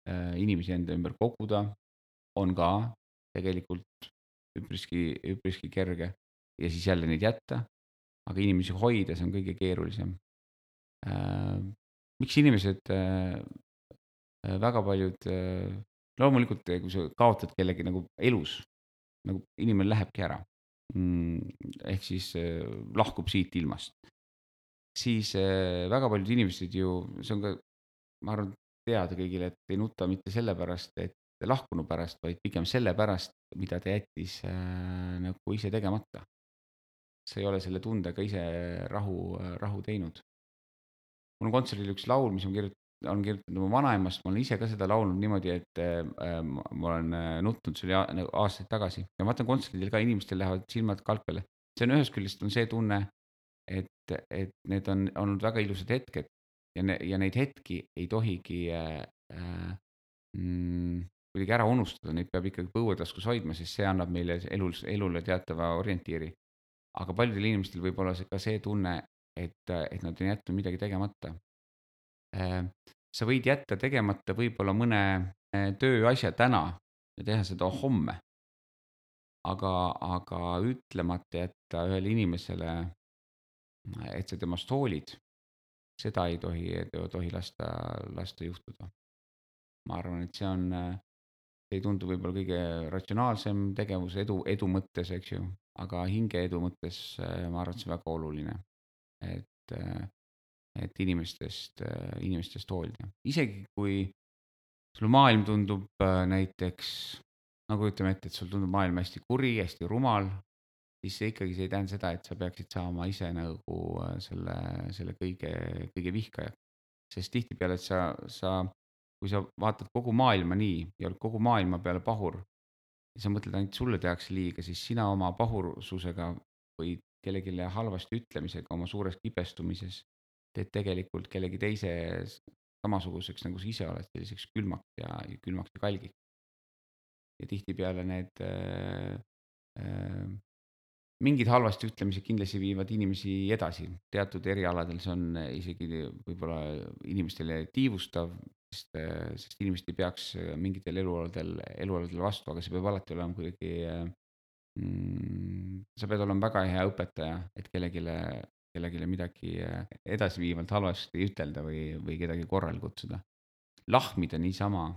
äh, inimesi enda ümber koguda on ka tegelikult üpriski, üpriski kerge ja siis jälle neid jätta, aga inimesi hoida, see on kõige keerulisem. Äh, miks inimesed äh, äh, väga paljud äh, loomulikult, kui sa kaotad kellegi nagu elus, nagu inimene lähebki ära mm,, ehk siis äh, lahkub siit ilmast, siis äh, väga paljud inimesed ju, see on ka, ma arvan, teada kõigile, et ei nuta mitte sellepärast, et lahkunu pärast, vaid pigem sellepärast, mida ta jättis äh, nagu ise tegemata. sa ei ole selle tundega ise rahu, rahu teinud. mul on kontserdil üks laul, mis on kirjutatud, on kirjutatud oma vanaemast, ma olen ise ka seda laulnud niimoodi, et äh, ma olen äh, nutnud, see oli a- nagu aastaid tagasi. ja ma vaatan kontserdil ka inimestel lähevad silmad kalp peale. see on ühest küljest on see tunne, et, et need on olnud väga ilusad hetked ja, ne, ja neid hetki ei tohigi äh, äh, mm, kuidagi ära unustada, neid peab ikkagi põuetaskus hoidma, sest see annab meile elus, elule teatava orientiiri. Aga paljudel inimestel võib olla see, ka see tunne, et, et nad on jätnud midagi tegemata. Äh, sa võid jätta tegemata võib-olla mõne äh, tööasja täna ja teha seda homme, aga, aga ütlemata jätta ühele inimesele, et sa temast hoolid, seda ei tohi, ei tohi lasta, lasta juhtuda. Ma arvan, et see on, äh, see ei tundu võib-olla kõige ratsionaalsem tegevus edu, edu mõttes, eks ju, aga hinge edu mõttes äh, ma arvan, et see on väga oluline, et, äh, et inimestest, äh, inimestest hoolida. Isegi kui sul maailm tundub äh, näiteks, nagu ütleme ette, et sul tundub maailm hästi kuri, hästi rumal, siis see ikkagi, see ei tähenda seda, et sa peaksid saama ise nagu äh, selle, selle kõige, kõige vihkaja. Sest tihtipeale, et sa, sa, kui sa vaatad kogu maailma nii ja oled kogu maailma peale pahur ja sa mõtled ainult sulle tehakse liiga, siis sina oma pahursusega või kellelegi halvasti ütlemisega oma suures kibestumises teed tegelikult kellegi teise s- samasuguseks, nagu sa ise oled, selliseks külmaks ja, ja külmaks ja kalgiks. Ja tihtipeale need äh, äh, mingid halvasti ütlemised kindlasti viivad inimesi edasi, teatud erialadel see on äh, isegi võib-olla inimestele tiivustav, sest, äh, sest inimesed ei peaks äh, mingitel elualadel, elualadel vastu, aga see peab alati olema kuidagi äh, mm, sa pead olema väga hea õpetaja, et kellelegi, kellelegi midagi äh, edasiviivalt halvasti ütelda või, või kedagi korrale kutsuda. Lahmida niisama,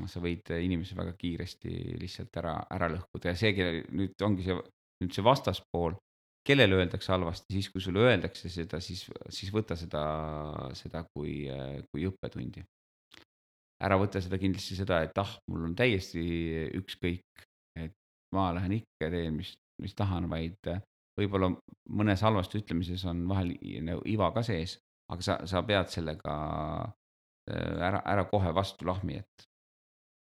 sa võid inimese väga kiiresti lihtsalt ära, ära lõhkuda ja see, kelle nüüd ongi see, nüüd see vastaspool, kellele öeldakse halvasti, siis kui sulle öeldakse seda, siis, siis võta seda, seda kui, kui õppetundi. Ära võta seda kindlasti seda, et ah, mul on täiesti ükskõik, et ma lähen ikka ja teen, mis, mis tahan, vaid võib-olla mõnes halvasti ütlemises on vahel i- nagu iva ka sees, aga sa, sa pead sellega äh, ära, ära kohe vastu lahmi, et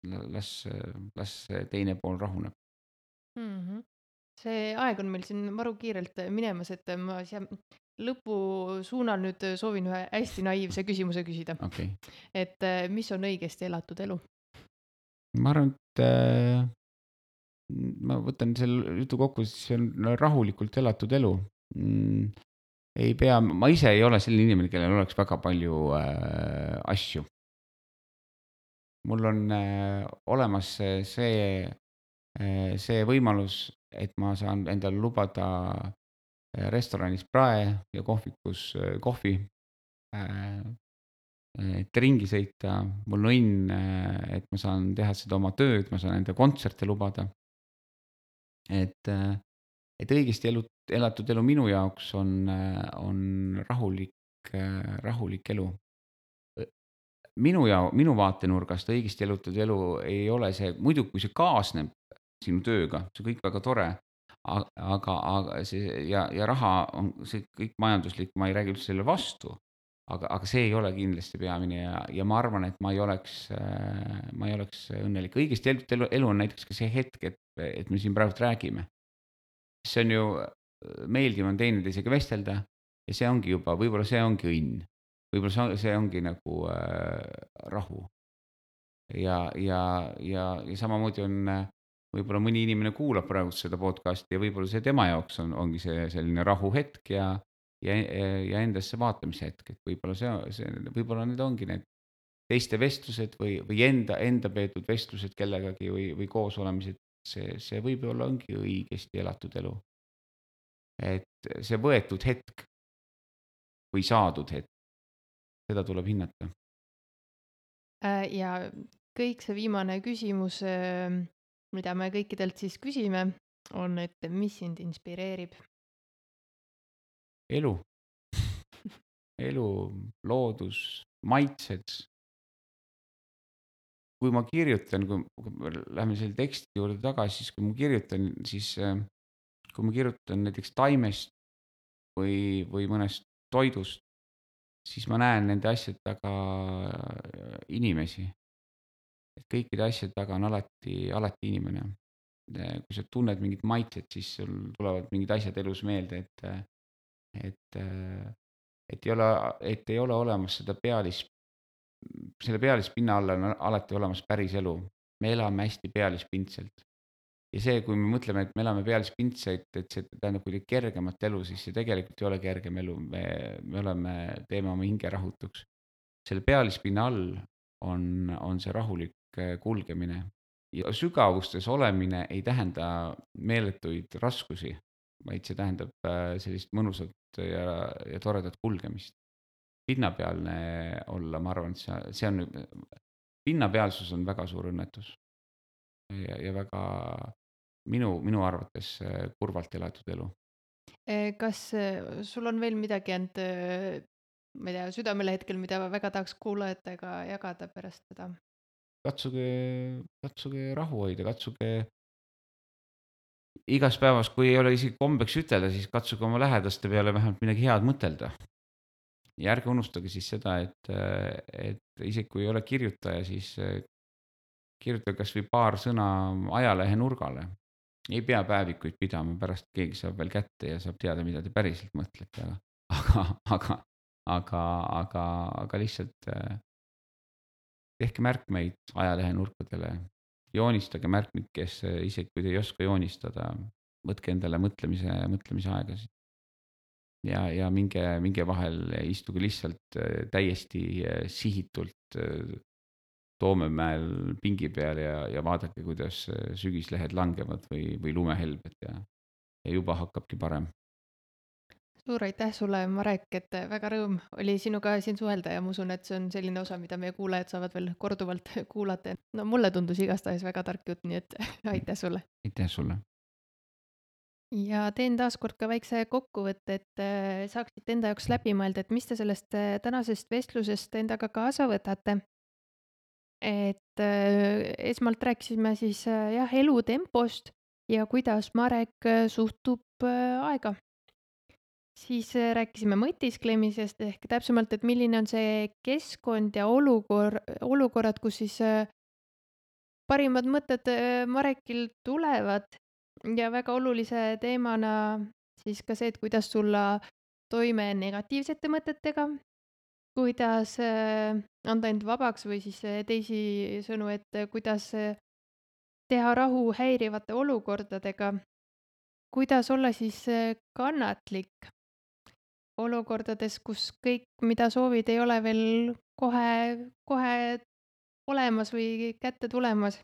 las, las see teine pool rahuneb. Mhm. See aeg on meil siin maru kiirelt minemas, et ma siia lõpusuunal nüüd soovin ühe hästi naiivse küsimuse küsida. Okei. Et mis on õigesti elatud elu? Ma arvan, et äh, ma võtan selle jutu kokku, siis see on rahulikult elatud elu. Mm, ei pea, ma ise ei ole selline inimene, kellel oleks väga palju äh, asju. Mul on äh, olemas see, äh, see võimalus, et ma saan endale lubada äh, restoranis prae ja kohvikus äh, kohvi, äh, et ringi sõita. Mul on õnn, äh, et ma saan teha seda oma tööd, ma saan enda kontserte lubada. Et, äh, et õigesti elu, elatud elu minu jaoks on, äh, on rahulik, äh, rahulik elu. Minu ja minu vaatenurgast õigesti elutatud elu ei ole see, muidu kui see kaasneb sinu tööga, see on kõik väga tore, a- aga, aga see ja, ja raha on see kõik majanduslik, ma ei räägi üldse selle vastu, aga, aga see ei ole kindlasti peamine ja, ja ma arvan, et ma ei oleks, äh, ma ei oleks õnnelik. Õigesti elutatud elu, elu on näiteks ka see hetk, et, et me siin praegu räägime. See on ju, meeldiv on teineteisega vestelda ja see ongi juba, võib-olla see ongi õnn. Võib-olla see, see ongi nagu äh, rahu. Ja, ja, ja, ja samamoodi on äh, võib-olla mõni inimene kuulab praegu seda podcasti ja võib-olla see tema jaoks on, ongi see selline rahuhetk ja, ja, ja endasse vaatamise hetk, et võib-olla see, see, võib-olla need ongi need teiste vestlused või, või enda, enda peetud vestlused kellegagi või, või koos olemised, see, see võib-olla ongi õigesti elatud elu. Et see võetud hetk või saadud hetk, seda tuleb hinnata. Ja kõik see viimane küsimus, mida me kõikidelt siis küsime, on, et mis sind inspireerib? Elu. Elu, loodus, maitsed. Kui ma kirjutan, kui, kui lähme selle teksti juurde tagasi, siis kui ma kirjutan, siis kui ma kirjutan näiteks taimest või, või mõnest toidust, siis ma näen nende asjade taga inimesi. Et kõikide asjade taga on alati, alati inimene. Kui sa tunned mingit maitset, siis sul tulevad mingid asjad elus meelde, et, et, et, ei ole, et ei ole olemas seda pealis, selle pealispinna all on alati olemas päris elu. Me elame hästi pealispindselt. Ja see, kui me mõtleme, et me elame pealispindselt, et see tähendab kuidagi kergemat elu, siis see tegelikult ei ole kergem elu. Me, me oleme, teeme oma hinge rahutuks. Selle pealispinna all on, on see rahulik kulgemine. Ja sügavustes olemine ei tähenda meeletuid raskusi, vaid see tähendab sellist mõnusat ja, ja toredat kulgemist. Pinnapealne olla, ma arvan, et see, see on, pinnapealsus on väga suur õnnetus. Ja, ja väga minu, minu arvates kurvalt elatud elu. Kas sul on veel midagi ent, ma ei tea, südamele hetkel, mida väga tahaks kuulajatega jagada pärast seda? Katsuge, katsuge rahu hoida, katsuge igas päevas, kui ei ole isegi kombeks ütelda, siis katsuge oma lähedaste peale vähemalt midagi head mõtelda. Ja ärge unustage siis seda, et, et isegi kui ei ole kirjutaja, siis kirjutage kas või paar sõna ajalehe nurgale. Ei pea päevikuid pidama, pärast keegi saab veel kätte ja saab teada, mida te päriselt mõtlete. Aga, aga, aga, aga, aga lihtsalt tehke märkmeid ajalehe nurkadele. Joonistage märkmeid, kes isegi kui te ei oska joonistada, võtke endale mõtlemise, mõtlemise aegasid. Ja, ja minge, minge vahel istuge lihtsalt täiesti sihitult Toomemäel pingi peal ja, ja vaadake, kuidas sügislehed langevad või, või lumehelbed ja, ja juba hakkabki parem. Suur aitäh sulle, Marek, et väga rõõm oli sinuga siin suhelda ja ma usun, et see on selline osa, mida meie kuulajad saavad veel korduvalt kuulata. No mulle tundus igastahes väga tark jutt, nii et aitäh sulle. Aitäh sulle. Ja teen taas kord ka väikse kokkuvõtte, et saaksite enda jaoks läbi mõelda, et mis te sellest tänasest vestlusest endaga kaasa võtate. Et esmalt rääkisime siis jah, elutempost ja kuidas Marek suhtub aega. Siis rääkisime mõtisklemisest ehk täpsemalt, et milline on see keskkond ja olukor, olukorrad, kus siis parimad mõtted äh, Marekil tulevad ja väga olulise teemana siis ka see, et kuidas tulla toime negatiivsete mõtetega, kuidas äh, anda end vabaks või siis äh, teisisõnu, et äh, kuidas äh, teha rahu häirivate olukordadega, kuidas olla siis äh, kannatlik olukordades, kus kõik, mida soovid, ei ole veel kohe, kohe olemas või kätte tulemas.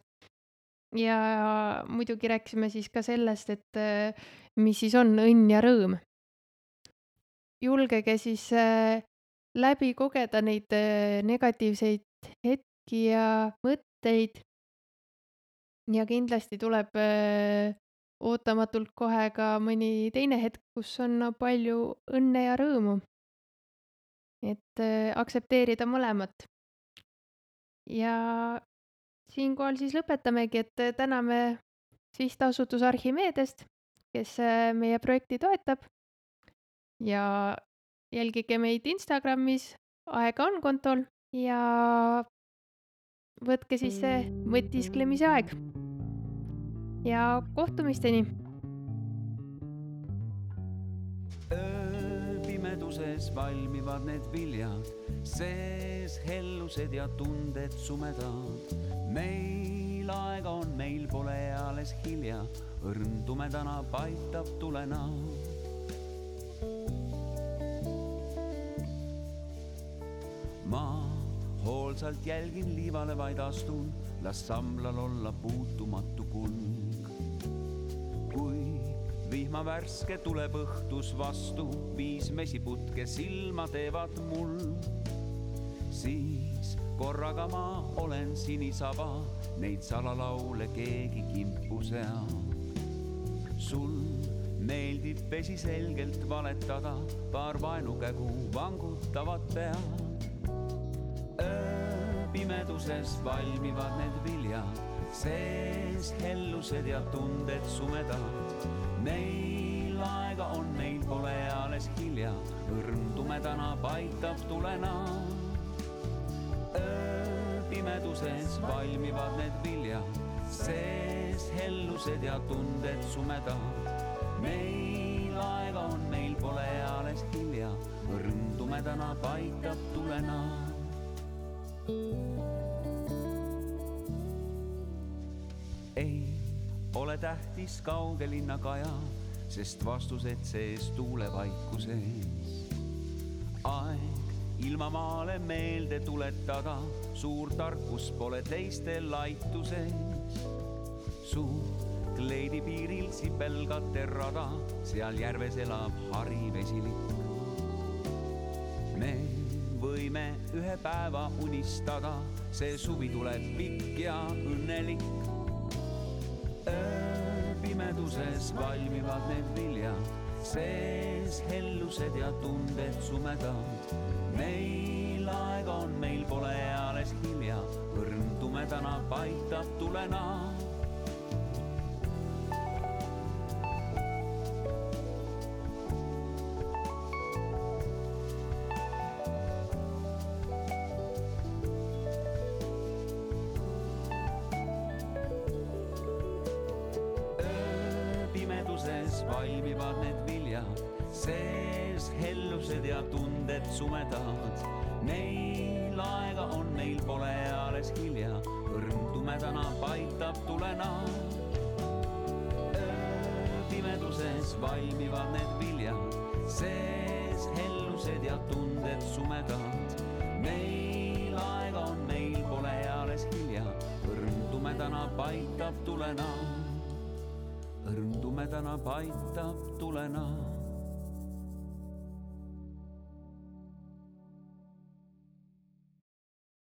Ja muidugi rääkisime siis ka sellest, et äh, mis siis on õnn ja rõõm. Julgege siis äh, läbi kogeda neid äh, negatiivseid hetki ja mõtteid. Ja kindlasti tuleb äh, ootamatult kohe ka mõni teine hetk, kus on palju õnne ja rõõmu. Et äh, aktsepteerida mõlemat. Ja siinkohal siis lõpetamegi, et äh, täname sihtasutus Archimedest, kes äh, meie projekti toetab. Ja jälgige meid Instagramis, aega on kontol ja võtke siis see mõtisklemise aeg. Ja kohtumisteni! Ööpimeduses valmivad need viljad, sees hellused ja tunded sumedad. Meil aega on, meil pole alles hilja, õrn tumedana paitab tulena. Ma hoolsalt jälgin liivale vaid astun, las samblal olla puutumatu kulg. Kui vihma värske tuleb õhtus vastu, viis mesiputke silma teevad mul. Siis korraga ma olen sinisaba, neid salalaule keegi kimpu seab. Sul meeldib vesi selgelt valetada, paar vaenukägu vangutavad pead. Ööpimeduses valmivad need viljad, sees hellused ja tunded sumedad. Meil aega on, meil pole alles hilja, õrn tumedana paitab tulena. Ööpimeduses valmivad need viljad, sees hellused ja tunded sumedad. Meil aega on, meil pole alles hilja, õrn tumedana paitab tulena. Ei ole tähtis kauge linnakaja, sest vastused sees tuulevaikuses. Aeg ilmamaale meelde tuletada, suur tarkus pole teiste laituses. Su kleidi piiril sipelgate rada, seal järves elab harivesilik. Me võime ühe päeva unistada, see suvi tuleb pikk ja õnnelik. Ööpimeduses valmivad need viljad, sees hellused ja tunded sumedad. Meil aega on, meil pole alles hilja, õrn tumedana paitab tulena. Valmivad need viljad, sees hellused ja tunded sumedad. Meil aega on, meil pole alles hilja, õrn tumedana paitab tulena. Ööpimeduses valmivad need viljad, sees hellused ja tunded sumedad. Meil aega on, meil pole alles hilja, õrn tumedana paitab tulena. Õrn tumedana paitab tulena.